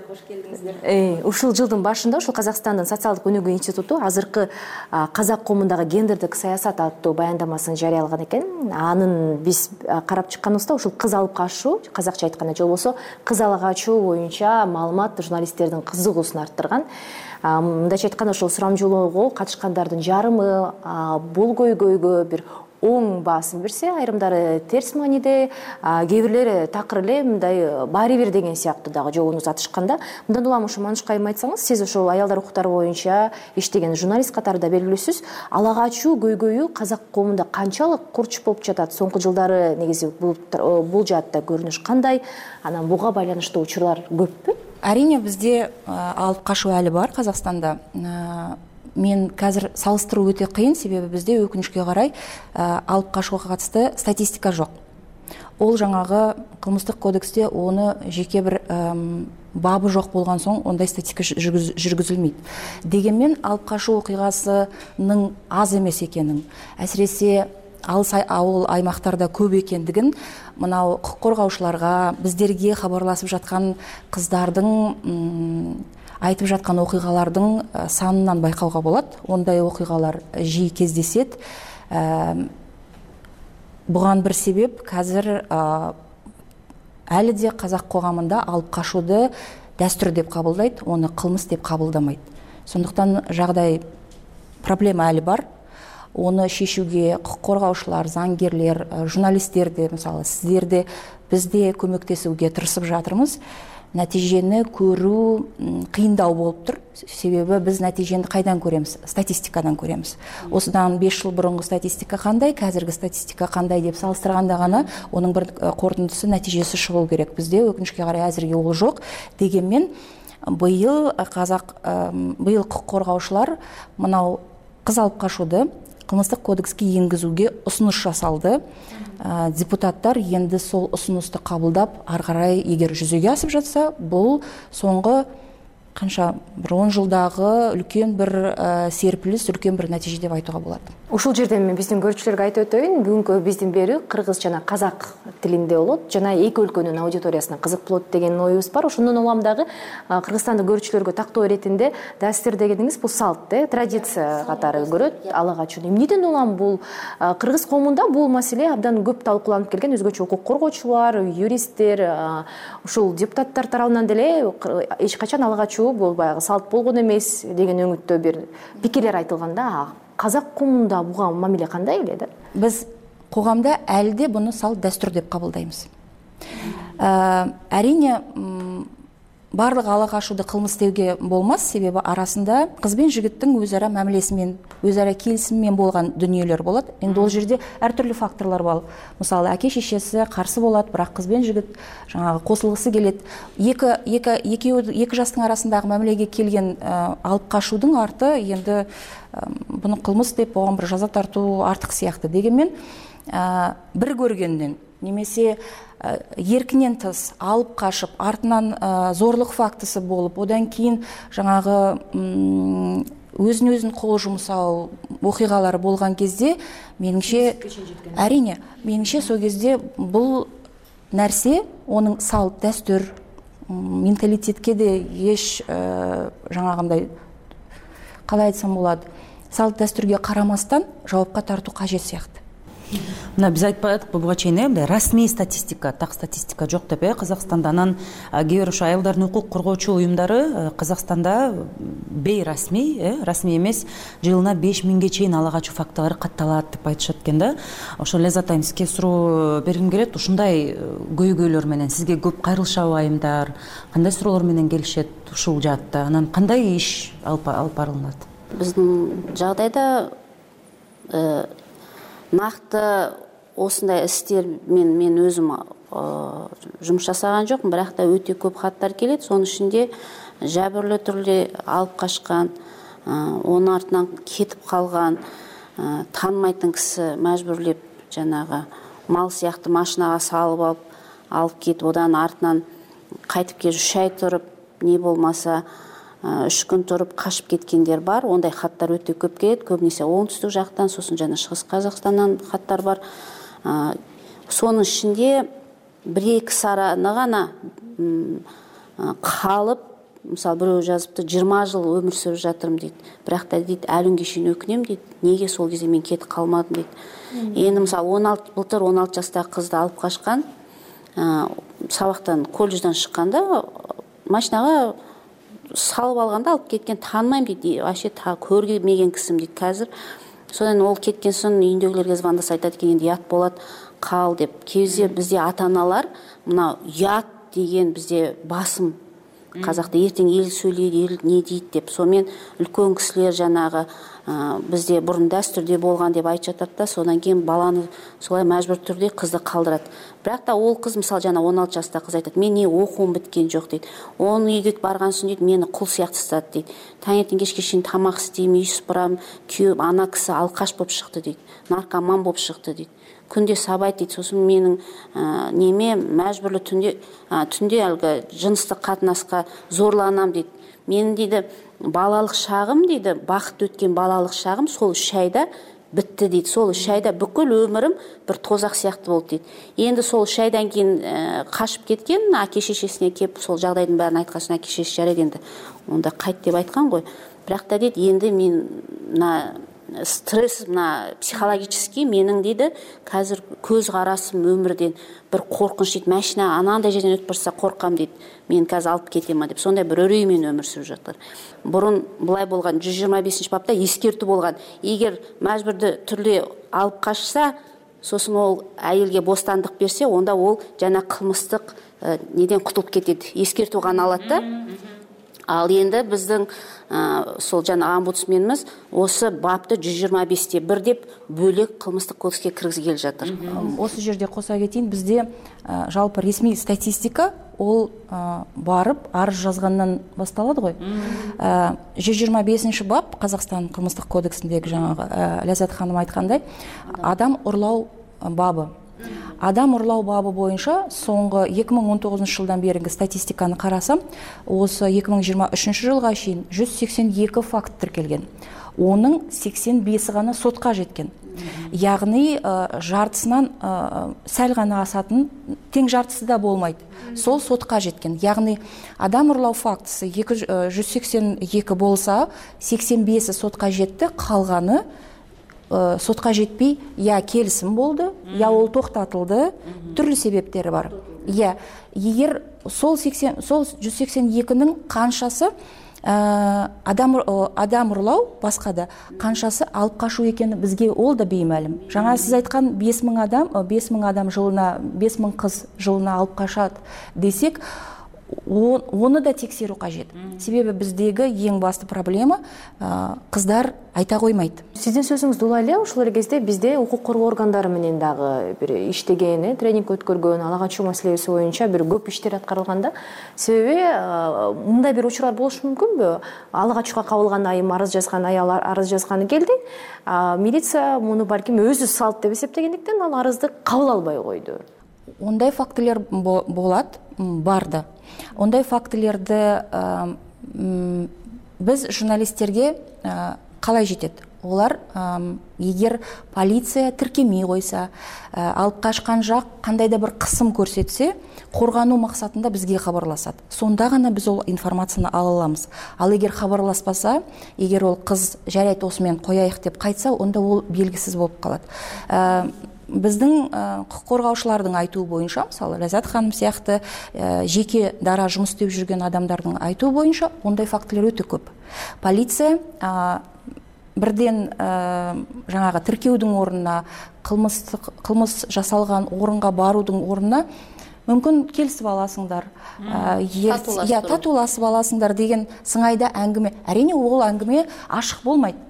Кош келдиңиздер. Э, ушул жылдын башында ушул Казакстандын социалдык өнүгүү институту азыркы казак коомундагы гендердик саясат аттуу баяндамасын жарыялаган экен. Анын биз карап чыкканыбызда ушул кыз алып качуу, казакча айтканда же болбосо кыз ала качуу боюнча маалымат журналисттердин кызыгуусун арттырган. Мындайча айтканда ушул сурамжылоого катышкандардын жарымы бул көйгөйгө бир оң баасын берсе, айрымдары терс мааниде, кээ бирлери такыр эле мындай баары бир деген сыяктуу дагы жообун узатышканда. Мындан улам ошо Маншук айым айтсаңыз, сиз ошол аялдар укуктары боюнча иштеген журналист катарында белгилүүсүз. Ала качуу көйгөйү казак коомунда канчалык курч болуп жатат? Соңку жылдары негизи бул жаатта көрүнүш кандай? Анан буга байланыштуу учурлар көппү? Арине бизде алып качуу әлі бар Казакстанда. Мен қазір салыстыруу өтө кыйын, себеби бизде өкүнүчкө карай алып качууга катысты статистика жок. Ол жаңагы кылмыштык кодексте оны жеке бир бабы жок болгон соң ондай статистика жүргүзүлмөйт. Дегенмен алып качуу окуйгасынын аз эмес экенин, әсіресе алыс ауыл аймактарда көп экендигин мынау укук коргоочуларга, биздерге кабарласып жаткан кыздардын айтып жаткан окуйгалардын санынан байкауга болот. Ондай окуйгалар жиі кездесет. Буган бир себеп қазір әлі де казак коомунда алып качууду дәстүр деп кабылдайт, оны кылмыс деп кабылдамайт. Сондуктан жагдай проблема әлі бар. Оны шешүүгө укук коргоочулар, заңгерлер, журналисттерди, мисалы сиздерди бизде көмөктесүүгө тырышып жатырмыз. Натижени көрүү кыйындау болуп тур. Себеби биз натижени кайдан көремиз? Статистикадан көремиз. Осудан беш жыл бурунку статистика кандай, казыркы статистика кандай деп салыштырганда гана онун бир корутундусу, натижеси чыгуу керек. Бизде өкүнүчкө карай азыркы ол жок. Дегенмен быйыл казак быйыл укук коргоочулар мынау кыз алып качууду кылмыштык кодекске энгизүүгө усунуш жасалды. Депутаттар енді сол ұсынысты қабылдап, ары қарай егер жүзеге асып жатса, бұл соңғы канча бир он жылдагы үлкен бир серпилис, үлкен бир натиже деп айтууга болот. Ушул жерден мен биздин көрүүчүлөргө айтып өтөйүн. Бүгүнкү биздин берүү кыргыз жана казак тилинде болот. Жана эки өлкөнүн аудиториясына кызык болот деген оюбуз бар. Ошондон улам дагы Кыргызстандык көрүүчүлөргө тактоо иретинде дастур дегениңиз бул салт, традиция катары көрөт. Ала качууну эмнеден улам бул кыргыз коомунда бул маселе абдан көп талкууланып келген. Өзгөчө укук коргоочулар, юристтер, ушул депутаттар тарабынан деле эч качан ала качуу бул баягы салт болгон эмес деген өңүттө бир пикирлер айтылганда, казак коомунда буга мамиле кандай эле да? Биз коомдо әлі де буну салт дәстүр деп кабылдайбыз. Әрине барлык ала качууду кылмыс деуге болмас, себеби арасында кыз бен жигиттин өз ара мамилеси менен, өз ара келисими менен болгон дүнүйөлөр болот. Эми ол жерде ар түрлүү факторлор бар. Мисалы, аке шешеси каршы болот, бирок кыз бен жигит жаңагы косулгысы келет. Эки эки эки эки жаштын арасындагы мамилеге келген алып качуудун арты енді буну кылмыс деп болгон бир жаза тартуу артык сыяктуу. Дегенмен бир көргөндөн немесе еркинен тыс алып качып, артынан зорлук фактысы болуп, одан кийин жаңагы өзүн өзүн кол жумсау окуйгалары болгон кезде менимче әрине менимче сол кезде бул нерсе онун салт дәстүр менталитетке де еш жаңагындай калай айтсам болот салт дәстүргө карамастан жоопко тартуу кажет сыяктуу. Мына биз айтпадыкпы буга чейин э мындай расмий статистика, так статистика жок деп э Казакстанда. Анан кээ бир ошо аялдардын укук коргоочу уюмдары Казакстанда бейрасмий, э расмий эмес жылына беш миңге чейин ала качуу фактылары катталат деп айтышат экен да. Ошо Ляззат айым сизге суроо бергим келет. Ушундай көйгөйлөр менен сизге көп кайрылышабы айымдар? Кандай суроолор менен келишет ушул жаатта? Анан кандай иш алып барылат? Биздин жагдайда накты осындай истер мен мен өзүм жумуш жасаган жокмун, бирок да өтө көп хаттар келет. Сонун ичинде жабырлуу түрдө алып качкан, онун артынан кетип калган, таанымайтын киши мажбурлеп жанагы мал сыяктуу машинага салып алып алып кетип, одан артынан кайтып келип үч ай туруп, не болмаса үч күн туруп качып кеткендер бар. Ондай хаттар өтө көп келет. Көбүнесе оңтүстүк жактан, сосын жана Чыгыс Казакстандан хаттар бар. Сонун ичинде бир эки сараны гана калып, мисалы бирөө жазыпты, жыйырма жыл өмүр сүрүп жатырмын дейт. Бирок да дейт, ал күнгө чейин өкүнөм дейт. Неге сол кезде мен кетип калмадым дейт. Эми мисалы он алты былтыр он алты жаштагы кызды алып качкан, сабактан, колледжден чыкканда машинага салып алганда алып кеткен, таанымайм дейт. Вообще көрмеген кишим дейт казыр. Содан ол кеткен соң үйүндөгүлөргө звондаса айтат экен, энди ят болот, кал деп. Кезде бизде ата-аналар мына ят деген бизде басым. Казакта эртең эл сүйлөйт, эл не дейт деп. Сонымен үлкөн кишилер жанагы бизде бурун дәстүрдө болгон деп айтып жатат да, содан кийин баланы солай мажбур түрдө кызды калдырат. Бирок да ол кыз мисалы жана он алты жаштагы кыз айтат, мен не окуум биткен жок дейт. Onun үйгө барган соң дейт, мени кул сыяктуу сатат дейт. Таңертең кечке чейин тамак истейм, үй сыпырам, күйөөм, ана киши алкаш болуп чыкты дейт. Наркоман болуп чыкты дейт. Күндө сабайт дейт. Сосын менин неме мажбурлуу түндө түндө алгы жыныстык катнаска зорланам дейт. Менин дейди балалык шагым дейди, бакыт өткөн балалык шагым сол үч айда битти дейт. Сол үч айда бүкүл өмүрүм бир тозак сыяктуу болду дейт. Энди сол үч айдан кийин качып кеткен, аке шешесине кеп сол жагдайдын баарын айткан соң аке шешеси жарайт энди онда кайт деп айткан го. Бирок да дейт, энди мен мына стресс, мына психологический менин дейди казыр көз карасым өмүрдөн бир коркунуч дейт. Машина анандай жерден өтүп барса коркам дейт. Мен казыр алып кетем деп. Сондай бир өрөй менен өмүр сүрүп жатыр. Бурун булай болгон жүз жыйырма бешинчи бапта эскертүү болгон. Эгер мажбурдуу түрдө алып качса, сосын ол айылге бостандык берсе, онда ол жана кылмыстык неден кутулуп кетет. Эскертүү гана алат да. Ал енді біздің сол жана омбудсменimiz осы бапты жүз жыйырма беште бир деп бөлек кылмыстык кодекске киргизип келе жатыр. Осы жерде қоса кетейин, бізде жалпы ресми статистика ол барып арыз жазгандан басталады ғой. жүз жыйырма бешинчи бап Казакстан кылмыстык кодексиндеги жаңағы Ляззат ханым айткандай адам урлау бабы. Адам урлау бабы боюнча соңғы эки миң он тогузунчу жылдан беринги статистиканы карасам, осы эки миң жыйырма үчүнчү жылга чейин жүз сексен эки факт тиркелген. Онун сексен беши гана сотко жеткен. Ягни жартысынан сәл гана асатын, тең жартысы да болмойт. Сол сотко жеткен. Ягни адам урлау фактысы жүз сексен эки болса, сексен беши сотко жетти, калганы сотқа жетпей, я келісім болды, я ол тоқтатылды, түрлі себептері бар. Я, егер сол жүз сексен экинин қаншасы адам ұрлау басқада, қаншасы алып қашу екені бізге ол да беймәлім. Жаңа сіз айтқан бес мың адам, бес мың адам жылына, бес мың қыз жылына алып қашады десек, оны да тексеру қажет. Себебі біздегі ең басты проблема қыздар айта қоймайды. Сиздин сөзүңүздү улай эле ушул кезде бизде укук коргоо органдары менен дагы бир иштеген, тренинг өткөргөн, ала качуу маселеси боюнча бир көп иштер аткарылганда, себеби мындай бир учурлар болушу мүмкүнбү? Ала качууга кабылган айым арыз жазган, аял арыз жазганы келди. Милиция муну балким өзү салт деп эсептегендиктен ал арызды кабыл албай койду. Ондай фактылар болот, барды. Ондай фактыларды биз журналисттерге калай жетет? Олар эгер полиция тиркемей койсо, алып качкан жак кандайда бир кысым көрсөтсө, коргануу максатында бизге кабарлашат. Сонда гана биз ол информацияны ала алабыз. Ал эгер кабарласпаса, эгер ол кыз жарайт осу менен кояйык деп кайтса, онда ол белгисиз болуп калат. Биздин укук коргоочулардын айтуу боюнча, мисалы Лаззат ханым сыяктуу жеке дара жумус иштеп жүргөн адамдардын айтуу боюнча, ондай фактылар өтө көп. Полиция бирден жаңагы тиркөөдүн ордуна, кылмыстык кылмыс жасалган орунга баруудун ордуна мүмкүн келисип аласыңдар, я татуулашып аласыңдар деген сыңайда әңгіме. Әрине ол әңгіме ашык болмайт.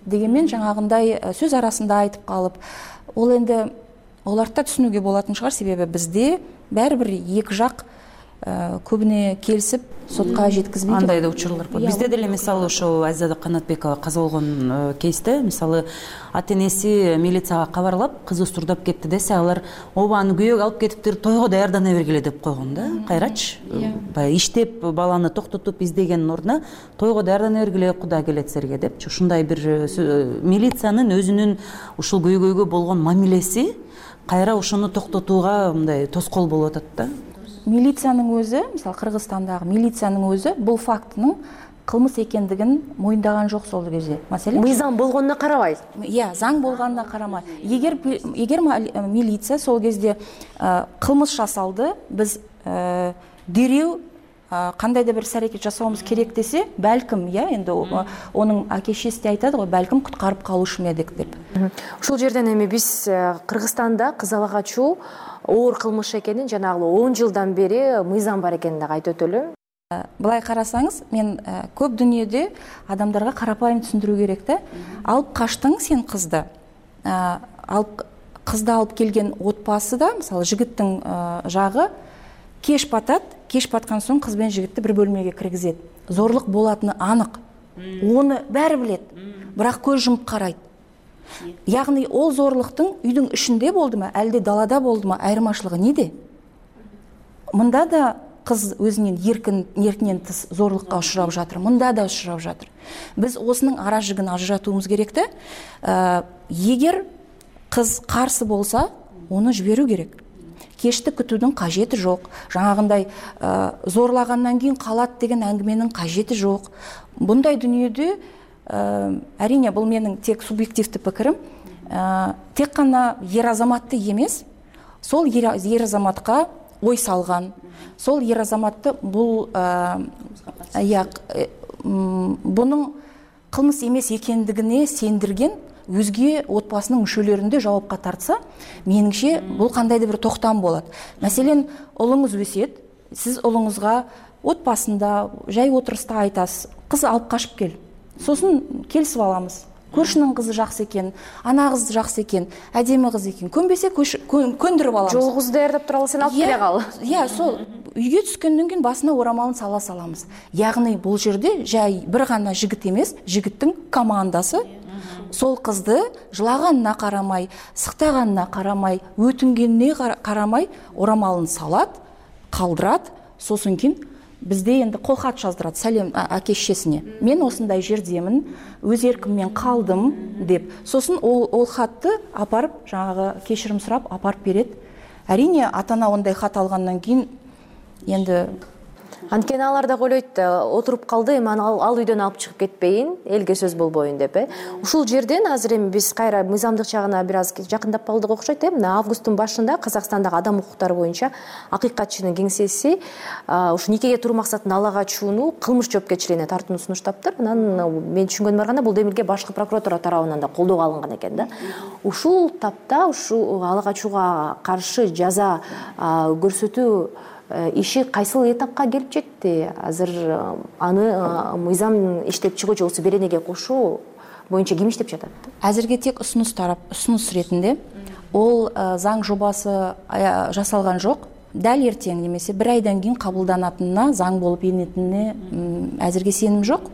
Дегенмен жаңагындай сөз арасында айтып калып, ол энди оларда түшүнүүгө болатын шығар, себеби бизде баары бир эки жак көбүнө келисип сотко жеткизбейт. Андай да учурлар бар. Бизде деле мисалы ошол Азиза Канатбекова каза болгон кейсте, мисалы ата энеси милицияга кабарлап, кызы сурдап кетти десе, алар ооба аны күйөөгө алып кетиптир, тойго даярдана бергиле деп койгон да. Кайрачы? Баягы иштеп баланы токтотуп издегендин ордуна тойго даярдана бергиле, Кудай келетсерге деп. Ушундай бир милициянын өзүнүн ушул көйгөйгө болгон мамилеси кайра ошону токтотууга мындай тоскоол болуп атат да. Милициянын өзү, мисалы Кыргызстандагы милициянын өзү бул фактынын кылмыс экендигин моюндаган жок сол кезде. Маселен, мыйзам болгонуна карабай. Иә, заң болгонуна карамай. Эгер эгер милиция сол кезде кылмыш жасалды, биз дереу кандайда бир аракет жасообуз керек десе, балким, иә, энди онун аке-шешеси де айтады го, балким куткарып калышым эдик деп. Ушул жерден эми биз Кыргызстанда кыз ала качуу оор кылмыш экенин, жанагы он жылдан бери мыйзам бар экенин дагы айтып өтөлү. Былай карасаңыз, мен көп дүйнөдө адамдарга карапайым түшүндүрүү керек да. Алып качтың сен кызды. Алып кызды алып келген отбасыда, мисалы жигиттин жагы кеш батат, кеш баткан соң кыз менен жигитти бир бөлмөгө киргизет. Зорлук болатыны анык. Оны баары билет. Бирок көз жумуп карайт. Ягни ол зорлуктун үйдүн ичинде болдума, әлде далада болдума, айырмачылыгы неде? Мында да кыз өзүнүн эркин эркинен тыс зорлукка учурап жатыр, мында да учурап жатыр. Биз осунун ара жигин ажыратуубуз керек да. Эгер кыз карсы болса, оны жиберүү керек. Кешти күтүүдүн кажети жок. Жаңагындай зорлагандан кийин калат деген әңгіменің кажети жок. Bunday дүниеде әрине бұл менің тек субъективті пікірім, тек қана ер азаматты емес, сол ер азаматқа ой салған, сол ер азаматты бұл бұның қылмыс емес екендігіне сендірген өзге отбасының мүшелерінде жауапқа тартса, меніңше бұл қандайды бір тоқтам болады. Мәселен, ұлыңыз өсет, сіз ұлыңызға отбасында жай отырыста айтасыз, қыз алып қашып кел. Сосын келісіп аламыз. Көршінің қызы жақсы екен, ана қызы жақсы екен, әдемі қыз екен. Көнбесе көндіріп аламыз. Жолғызды даярдап туралы сен алып келе қал. Иә, сол үйге түскенден кейін басына орамалын сала саламыз. Яғни бұл жерде жай бір ғана жігіт емес, жігіттің командасы сол қызды жылағанына қарамай, сықтағанына қарамай, өтінгеніне қарамай орамалын салат, қалдырат, сосын кейін бізде енді қолхат жаздырады, сәлем әке-шешесіне. Мен осындай жердемін, өз еркіммен қалдым деп. Сосын ол, ол хатты апарып, жаңағы кешірім сұрап апарып береді. Әрине, ата-ана ондай хат алғаннан кейін енді Анткени алар да ойлойт, отуруп калды, эми ал, ал үйдөн алып чыгып кетпейин, элге сөз болбойын деп, э. Ушул жерден азыр эми биз кайра мыйзамдык жагына бир аз жакындап калдык окшойт, э. Мына августтун башында Казакстандагы адам укуктары боюнча акыйкатчынын кеңсеси ушу никеге туруу максатында ала качууну кылмыш жоопкерчилигине тартууну сунуштаптыр. Анан мен түшүнгөнүмө караганда бул демилге башкы прокуратура тарабынан да колдоого алынган экен да. Ушул тапта ушу ала качууга каршы жаза көрсөтүү иши кайсыл этапка келип жетти? Азыр аны мыйзам иштеп чыгуучу болсо беренеге кошуу боюнча ким иштеп жатат? Азырге тек ұсыныс тарап, ұсыныс ретинде ол заң жобасы жасалган жок. Дәл ертең немесе бир айдан кийин кабылданатынына, заң болуп энетинине азырге сеним жок.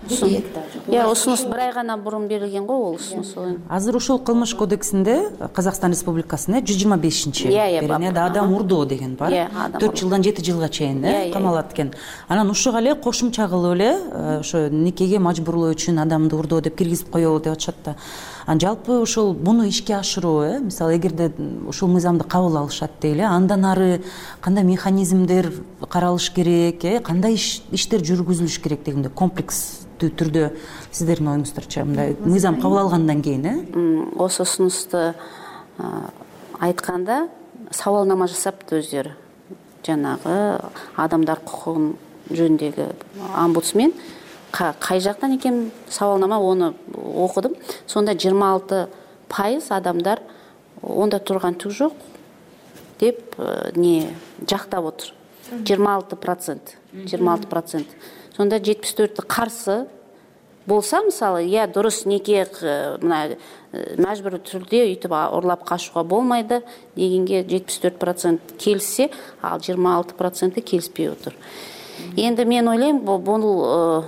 иә усунус бир ай гана мурун берилген го ол усунус. Азыр ушул кылмыш кодексинде Казакстан Республикасында жүз жыйырма бешинчи берене адам урдоо деген бар. төрт жылдан жети жылга чейин камалат экен. Анан ушуга эле кошумча кылып эле ошо никеге мажбурлоо үчүн адамды урдоо деп киргизип коелу деп атышат да. Анан жалпы ушул буну ишке ашыруу, э мисалы эгерде ушул мыйзамды кабыл алышат дейли, андан ары кандай механизмдер каралыш керек, э кандай иштер жүргүзүлүш керек дегенде комплекстүү түрдө сиздердин оюңуздарча мындай мыйзам кабыл алгандан кийин, э осы усунусту айтканда сабалнама жасапты өздөрү. Жанагы адамдар кукугун жөнүндөгү омбудсмен кай жактан экен сабалнама, оны окудум. Сонда жыйырма алты пайыз адамдар онда турган түк жок деп не жактап отур. жыйырма алты процент. жыйырма алты процент. Сонда жетимиш төртү каршы болса, мисалы, я дурус неке мына мажбур түрдө үйтүп урлап качууга болмайды дегенге жетимиш төрт процент келсе, ал жыйырма алты проценти келишпей отур. Енді мен ойлайм, бул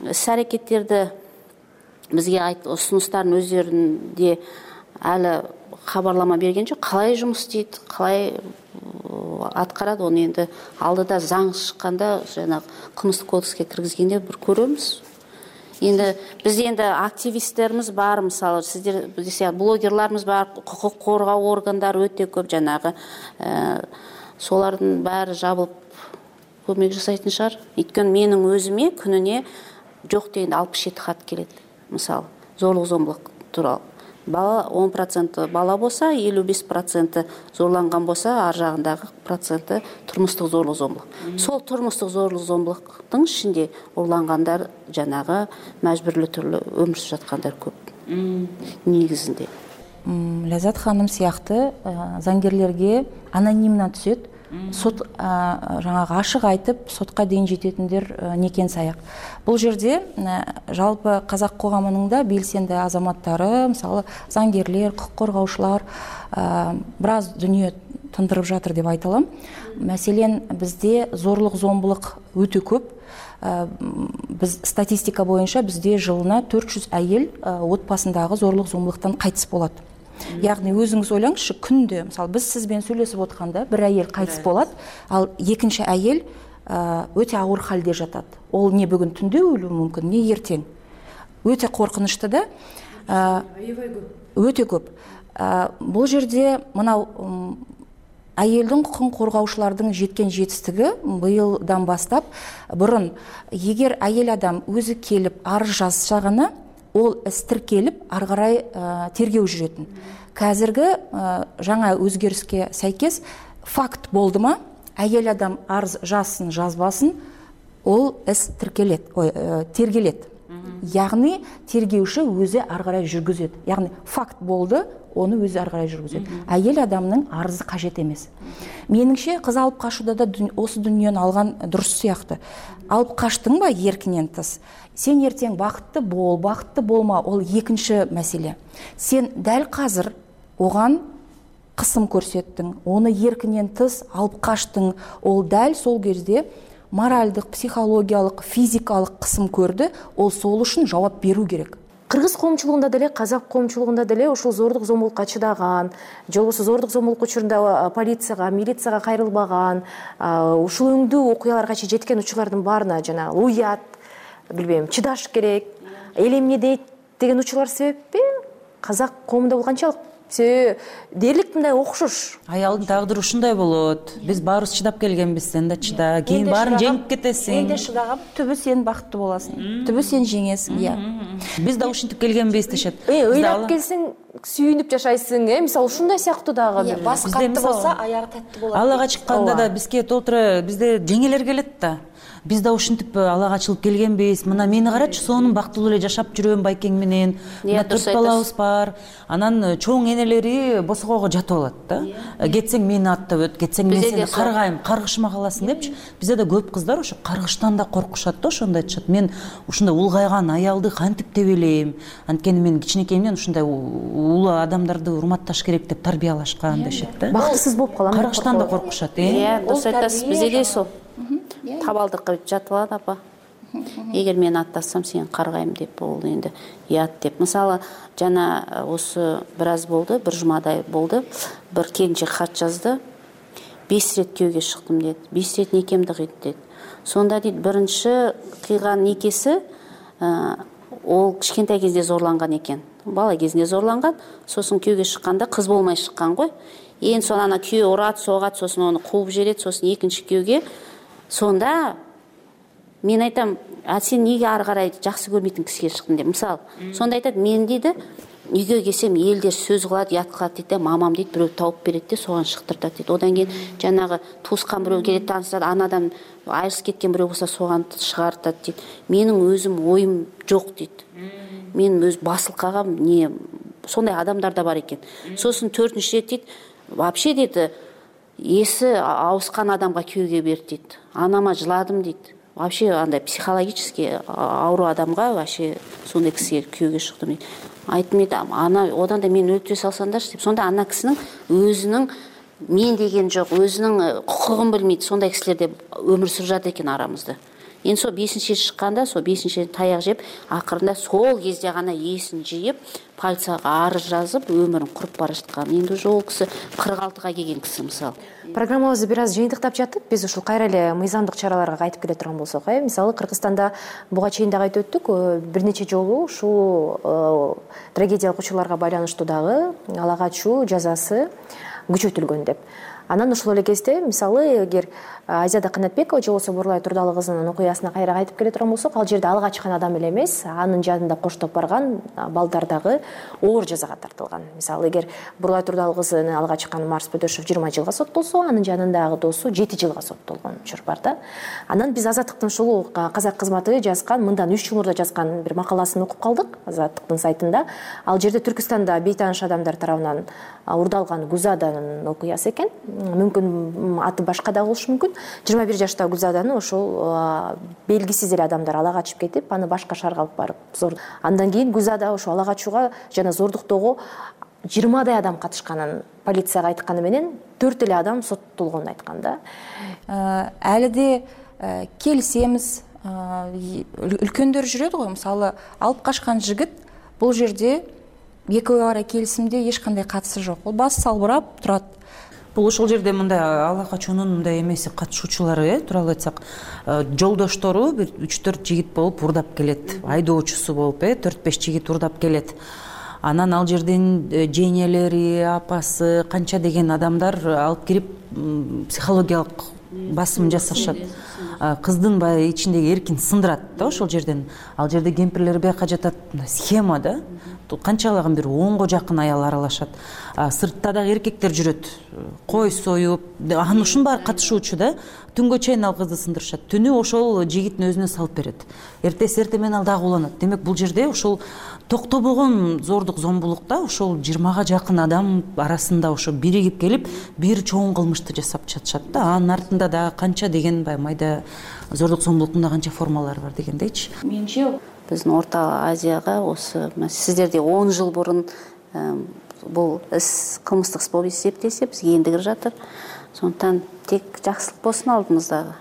іс-әрекеттерді бізге айт, ұсыныстарын өздерінде әлі хабарлама берген жоқ. Қалай жұмыс істейді, қалай атқарады, оны енді алдыда заң шыққанда, жаңағы қылмыстық кодекске кіргізгенде бір көреміз. Енді бізде енді активистеріміз бар, мысалы, сіздер десе блогерларымыз бар, құқық қорғау органдары өте көп, жаңағы солардың бәрі жабылып көмек жасайтын шығар. Өйткені менің өзіме күніне жоқ дегенде алпыс жеті хат келеді. Мысалы, зорлық зомбылық туралы. Бала он процент бала болса, елу беш процент зорланған болса, ар жағындағы проценті тұрмыстық зорлық зомбылық. Сол тұрмыстық зорлық зомбылықтың ішінде ұрланғандар жаңағы мәжбүрлі түрлі өмір сүріп жатқандар көп. Негізінде. Ләззат ханым сияқты заңгерлерге анонимно түседі. Сот жаңағы ашық айтып, сотқа дейін жететіндер некен саяқ. Бұл жерде жалпы қазақ қоғамының да белсенді азаматтары, мысалы заңгерлер, құқық қорғаушылар біраз дүние тындырып жатыр деп айталам. Мәселен, бізде зорлық зомбылық өте көп. Біз статистика бойынша бізде жылына төрт жүз әйел отбасындағы зорлық зомбылықтан қайтыс болады. Яғни өзіңіз ойлаңызшы, күнде, мысалы, біз сізбен сөйлесіп отқанда бір әйел қайтыс болады, ал екінші әйел өте ауыр халде жатады. Ол не бүгін түнде өлуі мүмкін, не ертең. Өте қорқынышты да, өте көп. Бұл жерде мынау әйелдің құқын қорғаушылардың жеткен жетістігі биылдан бастап, бұрын егер әйел адам өзі келіп арыз жазсағаны, ол іс тіркеліп, ары қарай тергеу жүретін. Қазіргі жаңа өзгеріске сәйкес факт болды ма, әйел адам арыз жазсын, жазбасын, ол іс тергеледі. Яғни тергеуші өзі ары қарай жүргізеді. Яғни факт болды, оны өзі ары қарай жүргізеді. Әйел адамның арызы қажет емес. Меніңше, қыз алып қашуда да осы дүниені алған дұрыс сияқты. Алып қаштың ба еркінен тыс? Сен ертең бақытты бол, бақытты болма, ол екінші мәселе. Сен дәл қазір оған қысым көрсеттің, оны еркінен тыс алып қаштың, ол дәл сол кезде моральдық, психологиялық, физикалық қысым көрді, ол сол үшін жауап беру керек. Кыргыз коомчулугунда деле, казак коомчулугунда деле ушул зордук зомбулукка чыдаган, же болбосо зордук зомбулук учурунда полицияга, милицияга кайрылбаган, ушул өңдүү окуяларга чейин жеткен учурлардын баарына жана уят, билбейм, чыдаш керек, эл эмне дейт деген учурлар себеппи казак коомунда бул канчалык дээрлик мындай окшош. Аялдын тагдыры ушундай болот. Биз баарыбыз чыдап келгенбиз, сен да чыда. Кийин баарын жеңип кетесиң. Энде чыдагам, түбү сен бакыттуу боласың. Түбү сен жеңесиң, иә. Биз да ушинтип келгенбиз дешет. Э, ыйлап келсең, сүйүнүп жашайсың, э, мисалы ушундай сыяктуу дагы бир. Бас катты болсо, аягы таттуу болот. Алага чыкканда да бизге толтура, бизде жеңелер келет да. Биз да ушинтип алага чыгып келгенбиз. Мына мени карачы, сонун бактылуу эле жашап жүрөм байкең менен. Мына төрт балабыз бар. Анан чоң энелери босогого жатып алат да. Кетсең мени аттап өт, кетсең мен сени каргайм, каргышыма каласың депчи. Бизде да көп кыздар ошо каргыштан да коркушат да, ошондой айтышат. Мен ушундай улгайган аялды кантип тебелейм? Анткени мен кичинекейимден ушундай улуу адамдарды урматташ керек деп тарбиялашкан дешет да. Бактысыз болуп калам. Каргыштан да коркушат, э? Иә, дұрыс айтасыз. Бизде де сол. Табалдыкка жатып алат апа. эгер мен аттасам сени каргайм деп, бул энди уят деп. Мисалы жана осы бир аз болду, бир жумадай болду, бир келинчек хат жазды. беш рет күйөөгө чыктым дейт. беш рет некемди кыйды дейт. Сонда дейт биринчи кыйган некеси ол кичкентай кезде зорланган экен. Бала кезинде зорланган, сосын күйөөгө чыкканда кыз болмой чыккан го. Ээн соң ана күйөө урат, согат, сосын аны кууп жиберет, сосын экинчи күйөөгө. Сонда мен айтам, а сен эмнеге ары карай жакшы көрмөйтүн кишиге чыктың деп. Мисалы, сонда айтат, мен дейди, үйгө келсем элдер сөз кылат, ят кылат дейт, мамам дейт, бирөө тауып берет де, соган шыктыртат дейт. Одан кийин жанагы туускан бирөө келет, таанышат, анадан айрылып кеткен бирөө болсо соган чыгартат дейт. Менин өзүм оюм жок дейт. Мен өз басылкагам не сондай адамдар да бар экен. Сосын төртүнчү рет дейт, вообще дейт, эси ауыскан адамга күйөөгө берди дейт. Анама жыладым дейт. Вообще андай психологически ауру адамга вообще сондай кишиге күйөөгө чыктым дейт. Айттым дейт, ана одан да мени өлтүрө салсаңдарчы деп. Сонда ана кишинин өзүнүн мен деген жок, өзүнүн кукугун билмейт, сондай кишилер деп өмүр сүрүп жатат экен арамызда. Эми сол бешинчи чыкканда, сол бешинчи таяк жеп, акырында сол кезде гана эсин жыйып, полицияга арыз жазып, өмүрүн куруп бара жаткан. Эми уже ол киши кырк алтыга келген киши мисалы. Программабызды бир аз жыйынтыктап жаттык. Биз ушул кайра эле мыйзамдык чараларга кайтып келе турган болсок, э, мисалы Кыргызстанда буга чейин дагы айтып өттүк, бир нече жолу ушул трагедиялык учурларга байланыштуу дагы ала качуу жазасы күчөтүлгөн деп. Анан ошол эле кезде мисалы эгер Азиада Канатбекова же болбосо Бурлай Турдалы кызынын окуясына кайра кайтып келе турган болсок, ал жерде алга чыккан адам эле эмес, анын жанында коштоп барган балдар дагы оор жазага тартылган. Мисалы эгер Бурлай Турдалы кызыны алга чыккан Марс Бөдөшов жыйырма жылга соттолсо, анын жанындагы досу жети жылга соттолгон учур бар да. Анан биз Азаттыктын ушул казак кызматы жазган, мындан үч жыл мурда жазган бир макаласын окуп калдык Азаттыктын сайтында. Ал жерде Түркүстанда бейтааныш адамдар тарабынан урдалган Гузаданын окуясы экен. Мүмкүн аты башка да болушу мүмкүн. жыйырма бир жаштагы Гүлзаданы ошол белгисиз эле адамдар ала качып кетип, аны башка шаарга алып барып зор. Андан кийин Гүлзада ошол ала качууга жана зордуктоого жыйырмадай адам катышканын полицияга айтканы менен төрт эле адам соттолгонун айткан да. Әлі де келісеміз, үлкөндөр жүрөт го, мисалы алып качкан жигит бул жерде экөө ара келисимде эч кандай катышы жок. Ол баш салбырап турат. Бул ошол жерде мындай ала качуунун мындай эмеси катышуучулары, э, тууралуу айтсак, жолдоштору бир үч төрт жигит болуп урдап келет. Айдоочусу болуп, э, төрт беш жигит урдап келет. Анан ал жерден жеңелери, апасы, канча деген адамдар алып кирип психологиялык басым жасашат. Кыздын баягы ичиндеги эркин сындырат да ошол жерден. Ал жерде кемпирлер бияка жатат, схема да. Канчалаган бир онго жакын аял аралашат. Сыртта дагы эркектер жүрөт. Кой союп, анын ушунун баары катышуучу да. Түнгө чейин ал кызды сындырышат. Түнү ошол жигиттин өзүнө салып берет. Эртеси эртең менен ал дагы уланат. Демек бул жерде ошол токтобогон зордук зомбулукта ошол жыйырмага жакын адам арасында ошо биригип келип, бир чоң кылмышты жасап жатышат да. Анын артында дагы канча деген бай майда зордук зомбулуктун канча формалары бар дегендейчи. Менимче биздин Орто Азияга осы сиздерде он жыл бурун бул іс кылмыстык іс болуп эсептелсе, бизге энди кирип жатыр. Сондуктан тек жакшылык болсун алдымыздагы.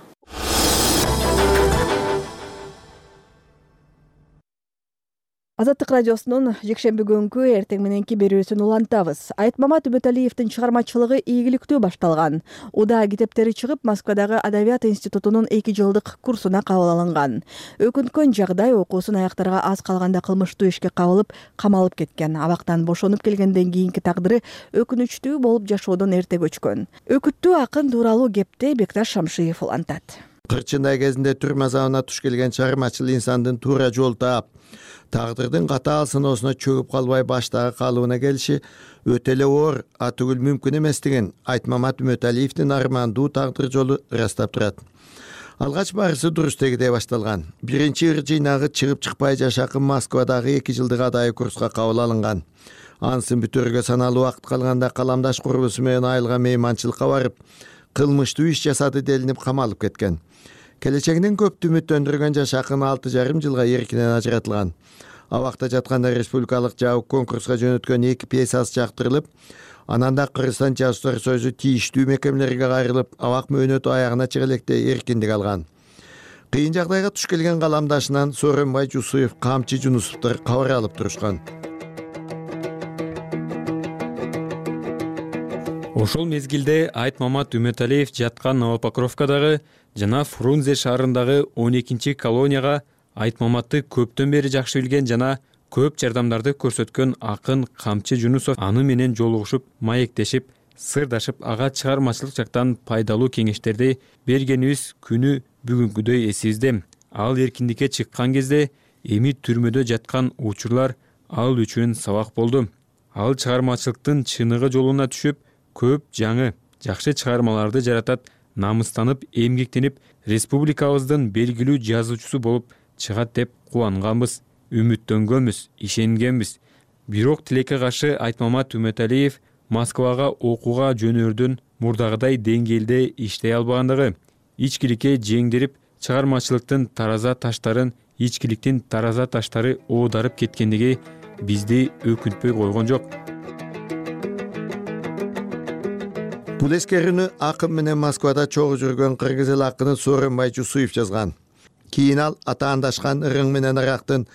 Азаттык радиосунун жекшемби күнгү эртең мененки берүүсүн улантабыз. Айтмамат Үмүталиевдин чыгармачылыгы ийгиликтүү башталган. Уда китептери чыгып, Москвадагы Адабият институтунун эки жылдык курсуна кабыл алынган. Өкүнткөн жагдай окуусун аяктарга аз калганда кылмыштуу ишке кабылып, камалып кеткен. Абактан бошонуп келгенден кийинки тагдыры өкүнүчтүү болуп жашоодон эрте көчкөн. Өкүттүү акын тууралуу кепти Бекташ Шамшиев улантат. Кырчындай кезинде түрмө азабына туш келген чыгармачыл инсандын туура жол таап, тагдырдын катаал сыноосуна чөгүп калбай баштагы калыбына келиши өтө эле оор, атүгүл мүмкүн эместигин Айтмамат Үмүталиевдин армандуу тагдыр жолу ырастап турат. Алгач барысы Дурустегиде башталган. Биринчи ыр жыйнагы чыгып чыкпай жашакын Москвадагы эки жылдык адайы курска кабыл алынган. Ансын бүтөргө саналуу убакыт калганда каламдаш курбусу менен айылга мейманчылыкка барып, кылмыштуу иш жасады делинип камалып кеткен. Келечегинен көптү үмүттөндүргөн жашакын алты жарым жылга эркинен ажыратылган. Абакта жатканда республикалык жабык конкурска жөнөткөн эки пьесасы жактырылып, анан да Кыргызстан жазуучулар союзу тийиштүү мекемелерге кайрылып, абак мөөнөтү аягына чыга электе эркиндик алган. кыйын жагдайга туш келген каламдашынан Сооронбай Жусуев, Камчы Жунусовдор кабар алып турушкан. Ошол мезгилде Айтмамат Үмөталиев жаткан Новопокровкадагы жана Фрунзе шаарындагы он экинчи колонияга Айтмаматты көптөн бери жакшы билген жана көп жардамдарды көрсөткөн акын Камчы Жунусов аны менен жолугушуп, маектешип, сырдашып, ага чыгармачылык жактан пайдалуу кеңештерди бергенибиз күнү бүгүнкүдөй эсибизде. Ал эркиндикке чыккан кезде эми түрмөдө жаткан учурлар ал үчүн сабак болду. Ал чыгармачылыктын чыныгы жолуна түшүп, көп жаңы, жакшы чыгармаларды жаратат, намыстанып, эмгектенип, республикабыздын белгилүү жазуучусу болуп чыгат деп кубанганбыз, үмүттөнгөнбүз, ишенгенбиз. Бирок тилекке каршы Айтмамат Үмөталиев Москвага окууга жөнөрдүн мурдагыдай деңгээлде иштей албагандыгы, ичкиликке жеңдирип, чыгармачылыктын тараза таштарын, ичкиликтин тараза таштары оодарып кеткендиги бизди өкүнтпөй койгон жок. Бул эскерүүнү акын менен Москвада чогуу жүргөн кыргыз эл акыны Сооронбай Жусуев жазган. Кийин ал атаандашкан ырың менен арактын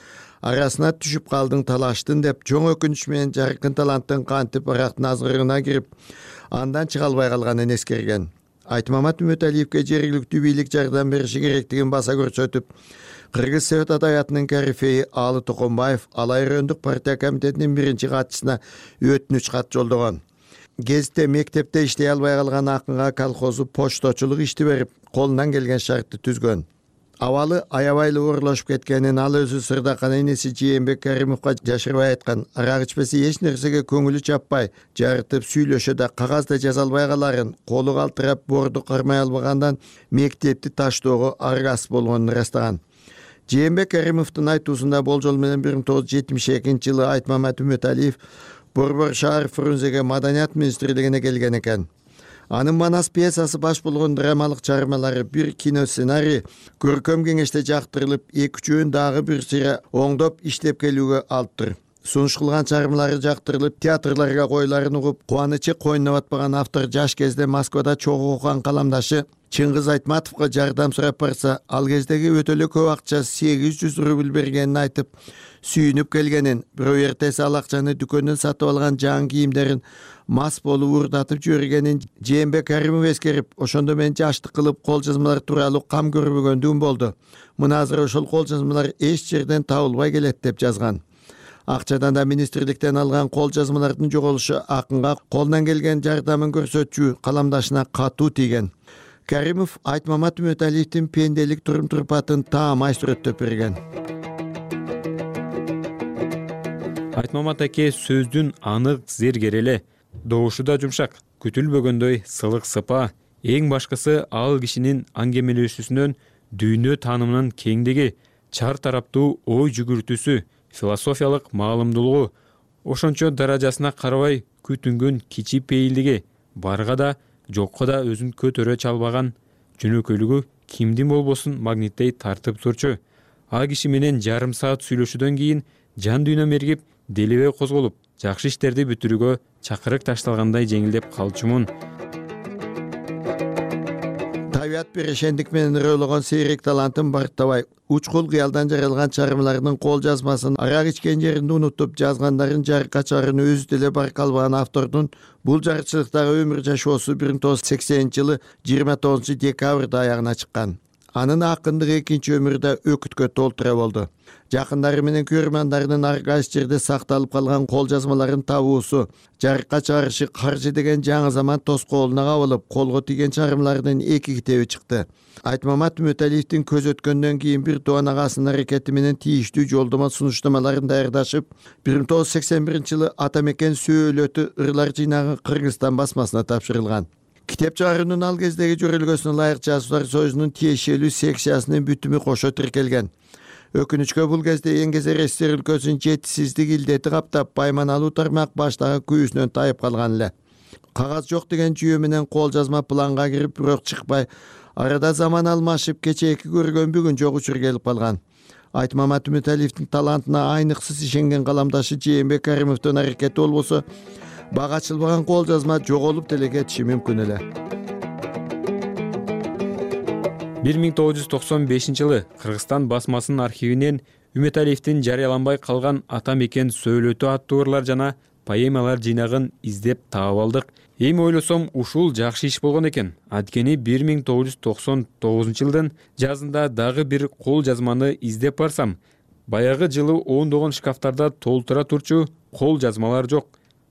арасына түшүп калдың талаштын деп жоң өкүнүч менен жаркын таланттын кантип арактын азгырыгына кирип, андан чыга албай калганын эскерген. Айтмамат Үмөталиевке жергиликтүү бийлик жардам бериши керектигин баса көрсөтүп, Кыргыз Совет адабиятынын корифейи Алы Токонбаев Алайрөндүк партия комитетинин биринчи катчысына өтүнүч кат жолдогон. Гезитте мектепте иштей албай калган акынга колхозу почточулук ишти берип, колунан келген шартты түзгөн. Абалы аябайлы оорлошуп кеткенин ал өзү Сырдакан энеси Жээнбек Каримовго жашырбай айткан. Арак ичпесе эч нерсеге көңүлү чаппай, жарытып сүйлөшө да кагазда жаза албай каларын, колу калтырап борду кармай албагандан мектепти таштоого аргасыз болгонун ырастаган. Жээнбек Каримовдун айтуусунда болжол менен бир миң тогуз жүз жетимиш экинчи жылы Айтмамат Үмөталиев Борбор шаар Фрунзеге маданият министрлигине келген экен. Анын Манас пьесасы баш болгон драмалык чыгармалары, бир кино сценарий көркөм кеңеште жактырылып, эки үчөөнү дагы бир сыйра оңдоп иштеп келүүгө алыптыр. Сунуш кылган чыгармалары жактырылып, театрларга койларын угуп, кубанычы койнуна батпаган автор жаш кезде Москвада чогуу окуган каламдашы Чыңгыз Айтматовго жардам сурап барса, ал кездеги өтө эле көп акча сегиз жүз рубль бергенин айтып, сүйүнүп келгенин, бирөө эртеси ал акчаны дүкөндөн сатып алган жаңы кийимдерин мас болуп уурдатып жибергенин Жээнбек Каримов эскерип, ошондо мен жаштык кылып кол жазмалар тууралуу кам көрбөгөндүгүм болду. Мына азыр ошол кол жазмалар эч жерден табылбай келет деп жазган. Акчадан да министрликтен алган кол жазмалардын жоголушу акынга колунан келген жардамын көрсөтчү каламдашына катуу тийген. Каримов Айтмамат Үмөталиевдин пенделик турум-турпатын таамай сүрөттөп берген. Айтмамат аке сөздүн анык зергереле, добушу да жумшак, күтүлбөгөндөй сылык сыпа, эң башкысы ал кишинин аңгемелешүүсүнөн дүйнө таанымынын кеңдиги, чар тараптуу ой жүгүртүүсү, философиялык маалымдуулугу, ошончо даражасына карабай күтүнгөн кичи пейилдиги, барга да жокко да өзүн көтөрө чалбаган жөнөкөйлүгү кимдин болбосун магниттей тартып турчу. А киши менен жарым саат сүйлөшүүдөн кийин жан дүйнөм эргип, делебе козголуп, жакшы иштерди бүтүрүүгө чакырык ташталгандай жеңилдеп калчумун. Табият берешендик менен ырыологон сейрек талантын барктабай, учкул кыялдан жаралган чыгармаларынын кол жазмасын арак ичкен жеринде унутуп, жазгандарын жарыкка чыгарууну өзү деле байкалбаган автордун бул жарычылыктагы өмүр жашоосу бир миң тогуз жүз сексенинчи жылы жыйырма тогузунчу декабрда аягына чыккан. Анын акындыгы экинчи өмүрдө өкүткө толтура болду. Жакындары менен көрөрмандарынын ар кайсы жерде сакталып калган кол жазмаларын табуусу, жарыкка чыгарышы каржы деген жаңы заман тоскоолуна кабылып, колго тийген чыгармалардын эки китеби чыкты. Айтмамат Үмөталиевдин көз өткөндөн кийин бир тууган агасынын аракети менен тийиштүү жолдомо сунуштамаларын даярдашып, бир миң тогуз жүз сексен биринчи жылы ата мекен сөөлөтү ырлар жыйнагы Кыргызстан басмасына тапшырылган. Китеп чыгаруунун ал кездеги жөрөлгөсүнө ылайык жазуучулар союзунун тиешелүү секциясынын бүтүмү кошо тиркелген. Өкүнүчкө бул кезде Эңгезер СССР өлкөсүнүн жетишсиздик илдети каптап, байманалуу тармак баштагы күйүүсүнөн тайып калган эле. Кагаз жок деген жүйө менен кол жазма планга кирип, бирок чыкпай, арада заман алмашып, кечээки көргөн бүгүн жок учур келип калган. Айтмамат Үмөталиевдин талантына айныксыз ишенген каламдашы Жээнбек Каримовдун аракети болбосо, бага ачылбаган кол жазма жоголуп деле кетиши мүмкүн эле. бир миң тогуз жүз токсон бешинчи жылы Кыргызстан басмасынын архивинен Үмөталиевдин жарыяланбай калган Ата мекен сөөлөтү аттуу ырлар жана поэмалар жыйнагын издеп таап алдык. Эми ойлосом, ушул жакшы иш болгон экен. Анткени бир миң тогуз жүз токсон тогузунчу жылдын жазында дагы бир кол жазманы издеп барсам, баягы жылы ондогон шкафтарда толтура турчу кол жазмалар жок.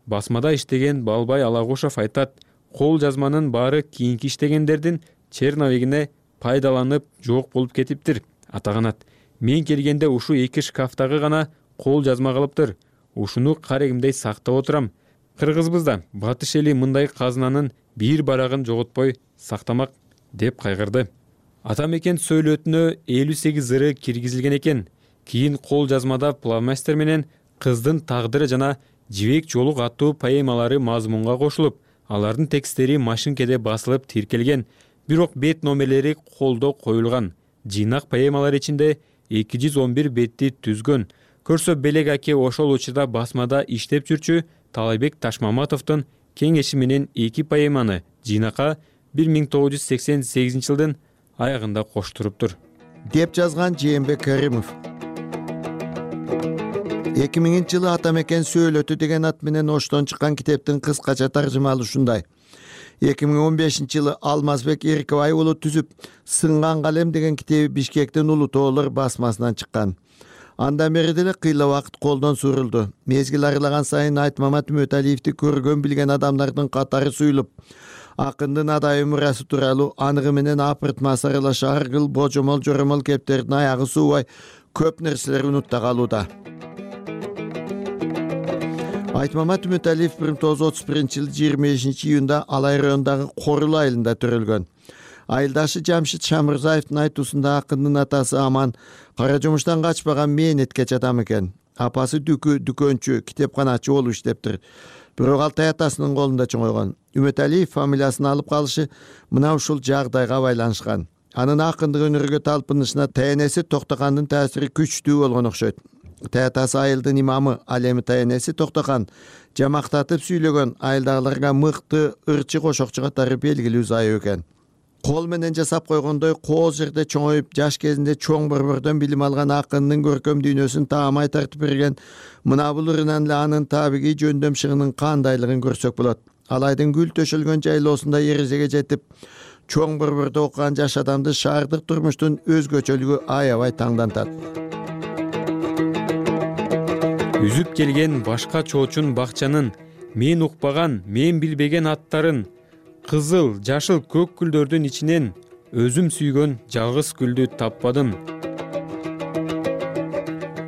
Басмада иштеген Балбай Алагушев айтат, кол жазманын баары кийинки иштегендердин черновигине пайдаланып жок болуп кетиптир. Атаганат, мен келгенде ушу эки шкафтагы гана кол жазма калыптыр. Ушуну карегимдей сактап отурам. Кыргызбыз да батыш эли мындай казынанын бир барагын жоготпой сактамак деп кайгырды. Ата мекен сөөлөтүнө элүү сегиз ыры киргизилген экен. Кийин кол жазмада Плавмастер менен кыздын тагдыры жана Жибек жолук аттуу поэмалары мазмунга кошулуп, алардын текстери машинкеде басылып тиркелген, бирок бет номерлери колдо коюлган. Жыйнак поэмалар ичинде эки жүз он бир бетти түзгөн. Көрсө Белек аке ошол учурда басмада иштеп жүрчү Талайбек Ташмаматовдун кеңеши менен эки поэманы жыйнакка бир миң тогуз жүз сексен сегизинчи жылдын аягында коштуруптур, деп жазган Жээнбек Каримов. эки миңинчи жылы Ата мекен сөөлөтү деген ат менен Оштон чыккан китептин кыскача таржымалы ушундай. эки миң он бешинчи жылы Алмазбек Эркебай уулу түзүп, Сынган калем деген китеби Бишкектин Улуу тоолор басмасынан чыккан. Андан бери деле кыйла убакыт колдон сурулду. Мезгил арылаган сайын Айтмамат Үмөталиевди көргөн билген адамдардын катары суюлуп, акындын адайы мурасы тууралуу аныгы менен апыртма сарылаш аргыл, божомол, жоромол кептердин аягы суубай көп нерселер унутта калууда. Айтмамат Үмөталиев бир миң тогуз жүз отуз биринчи жылы жыйырма бешинчи июнда Алай районундагы Корул айылында төрөлгөн. Айылдашы Жамшит Шамырзаевдин айтуусунда акындын атасы Аман кара жумуштан качпаган мээнеткеч адам экен. Апасы дүкү, дүкөнчү, китепканачы болуп иштептир. Бирок ал таятасынын колунда чоңойгон. Үмөталиев фамилиясын алып калышы мына ушул жагдайга байланышкан. Анын акындык өнөргө талпынышына таянеси Токтокандын таасири күчтүү болгон окшойт. Таятасы айылдын имамы, ал эми таянеси Токтокан жамактатып сүйлөгөн айылдагыларга мыкты ырчы кошокчу катары белгилүү зайып экен. Кол менен жасап койгондой кооз жерде чоңоюп, жаш кезинде чоң борбордон билим алган акындын көркөм дүйнөсүн таамай тартып берген мына бул ырынан эле анын табигый жөндөм шыгынын кандайлыгын көрсөк болот. Алайдын гүл төшөлгөн жайлоосунда эрежеге жетип, чоң борбордо окуган жаш адамды шаардык турмуштун өзгөчөлүгү аябай таңдантат. Үзүп келген башка чоочун бакчанын, мен укпаган, мен билбеген аттарын, кызыл, жашыл көк гүлдөрдүн ичинен өзүм сүйгөн жалгыз гүлдү таппадым.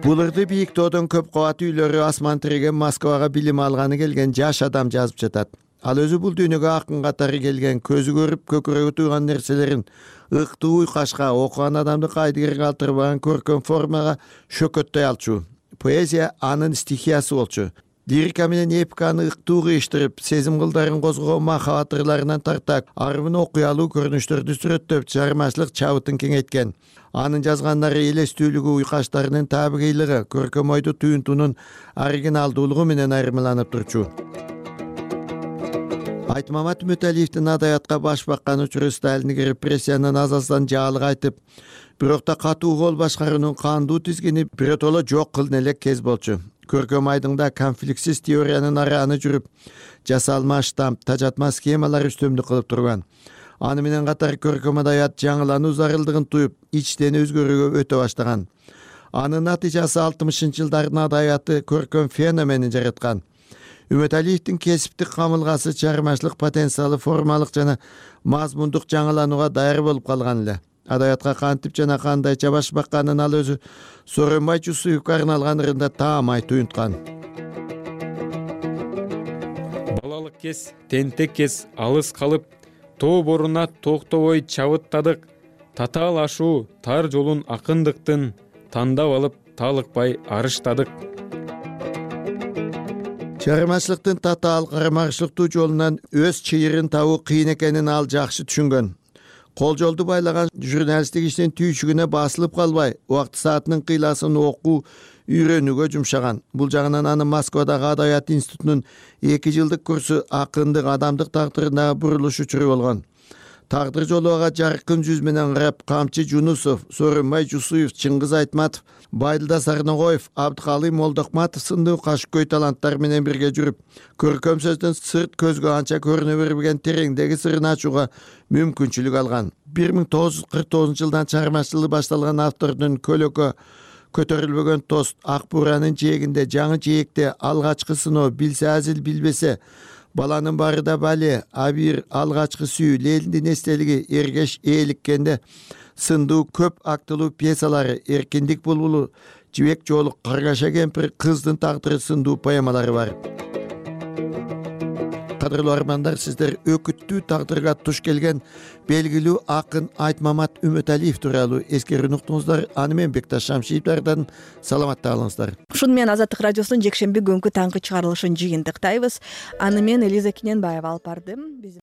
Бул ырды Бийиктоодон көп кабаттуу үйлөрү асман тиреген Москвага билим алганы келген жаш адам жазып жатат. Ал өзү бул дүйнөгө акын катары келген, көзү көрүп, көкүрөгү туйган нерселерин ыктуу уйкашка, окуган адамды кайдыгер калтырбаган көркөм формага шөкөттөй алчу. Поэзия анын стихиясы болчу. Лирика менен эпиканы ыктуу кыйыштырып, сезим кылдарын козгогон махабат ырларынан тартак, арбын окуялуу көрүнүштөрдү сүрөттөп, чыгармачылык чабытын кеңейткен. Анын жазгандары элестүүлүгү, уйкаштарынын табигыйлыгы, көркөм ойду туюнтуунун оригиналдуулугу менен айырмаланып турчу. Айтмамат Үмөталиевдин адаятка баш баккан учуру Сталиндик репрессиянын азасынан жаалык айтып, бирок да катуу кол башкаруунун кандуу тизгини биротоло жок кылын элек кез болчу. Көркөм айдыңда конфликтсиз теориянын арааны жүрүп, жасалма штамп, тажатма схемалар үстөмдүк кылып турган. Аны менен катар көркөм адаят жаңылануу зарылдыгын туюп, ичтен өзгөрүүгө өтө баштаган. Анын натыйжасы алтымышынчы жылдардын адаяты көркөм феноменин жараткан. Үмөталиевдин кесиптик камылгасы, чыгармачылык потенциалы формалык жана мазмундук жаңыланууга даяр болуп калган эле. Адаятка кантип жана кандайча баш бакканын ал өзү Сооронбай Жусуевке арналган ырында таамай туюнткан. Балалык кез, тентек кез алыс калып, тоо боруна токтобой чабыттадык. Татаал ашуу, тар жолун акындыктын тандап алып, талыкпай арыштадык. Чыгармачылыктын татаал карамарчылыктуу жолунан өз чыйырын табуу кыйын экенин ал жакшы түшүнгөн. Кол жолду байлаган журналисттик иштин түйчүгүнө басылып калбай, убакыт саатынын кыйласын окуу, үйрөнүүгө жумшаган. Бул жагынан анын Москвадагы Адаят институтунун эки жылдык курсу акындык, адамдык тагдырындагы бурулуш учуру болгон. Тагдыр жолу ага жаркын жүз менен карап, Камчы Жунусов, Сооронбай Жусуев, Чыңгыз Айтматов, Байдылда Сарногоев, Абдыкалый Молдокматов сындуу кашкөй таланттар менен бирге жүрүп, көркөм сөздүн сырт көзгө анча көрүнө бербеген тереңдеги сырын ачууга мүмкүнчүлүк алган. бир миң тогуз жүз кырк тогузунчу жылдан чыгармачылыгы башталган автордун көлөкө көтөрүлбөгөн тост, Ак Буранын жээгинде, Жаңы жээкте, Алгачкы сыноо, Билсе азил билбесе, Баланын баары да бале, Абир, Алгачкы сүйүү, Лелиндин эстелиги, Эргеш ээликкенде сындуу көп актылуу пьесалары, Эркиндик булбулу, Жибек жолу, Каргаша кемпир, Кыздын тагдыры сындуу поэмалары бар. Кадырлуу армандар, сиздер өкүттүү тагдырга туш келген белгилүү акын Айтмамат Үмөталиев тууралуу эскерүүнү уктуңуздар. Аны мен Бекташ Шамшиевдерден саламатта калыңыздар. Ушуну менен Азаттык радиосунун жекшемби күнгү таңкы чыгарылышын жыйынтыктайбыз. Аны мен Элиза Кененбаева алып бардым.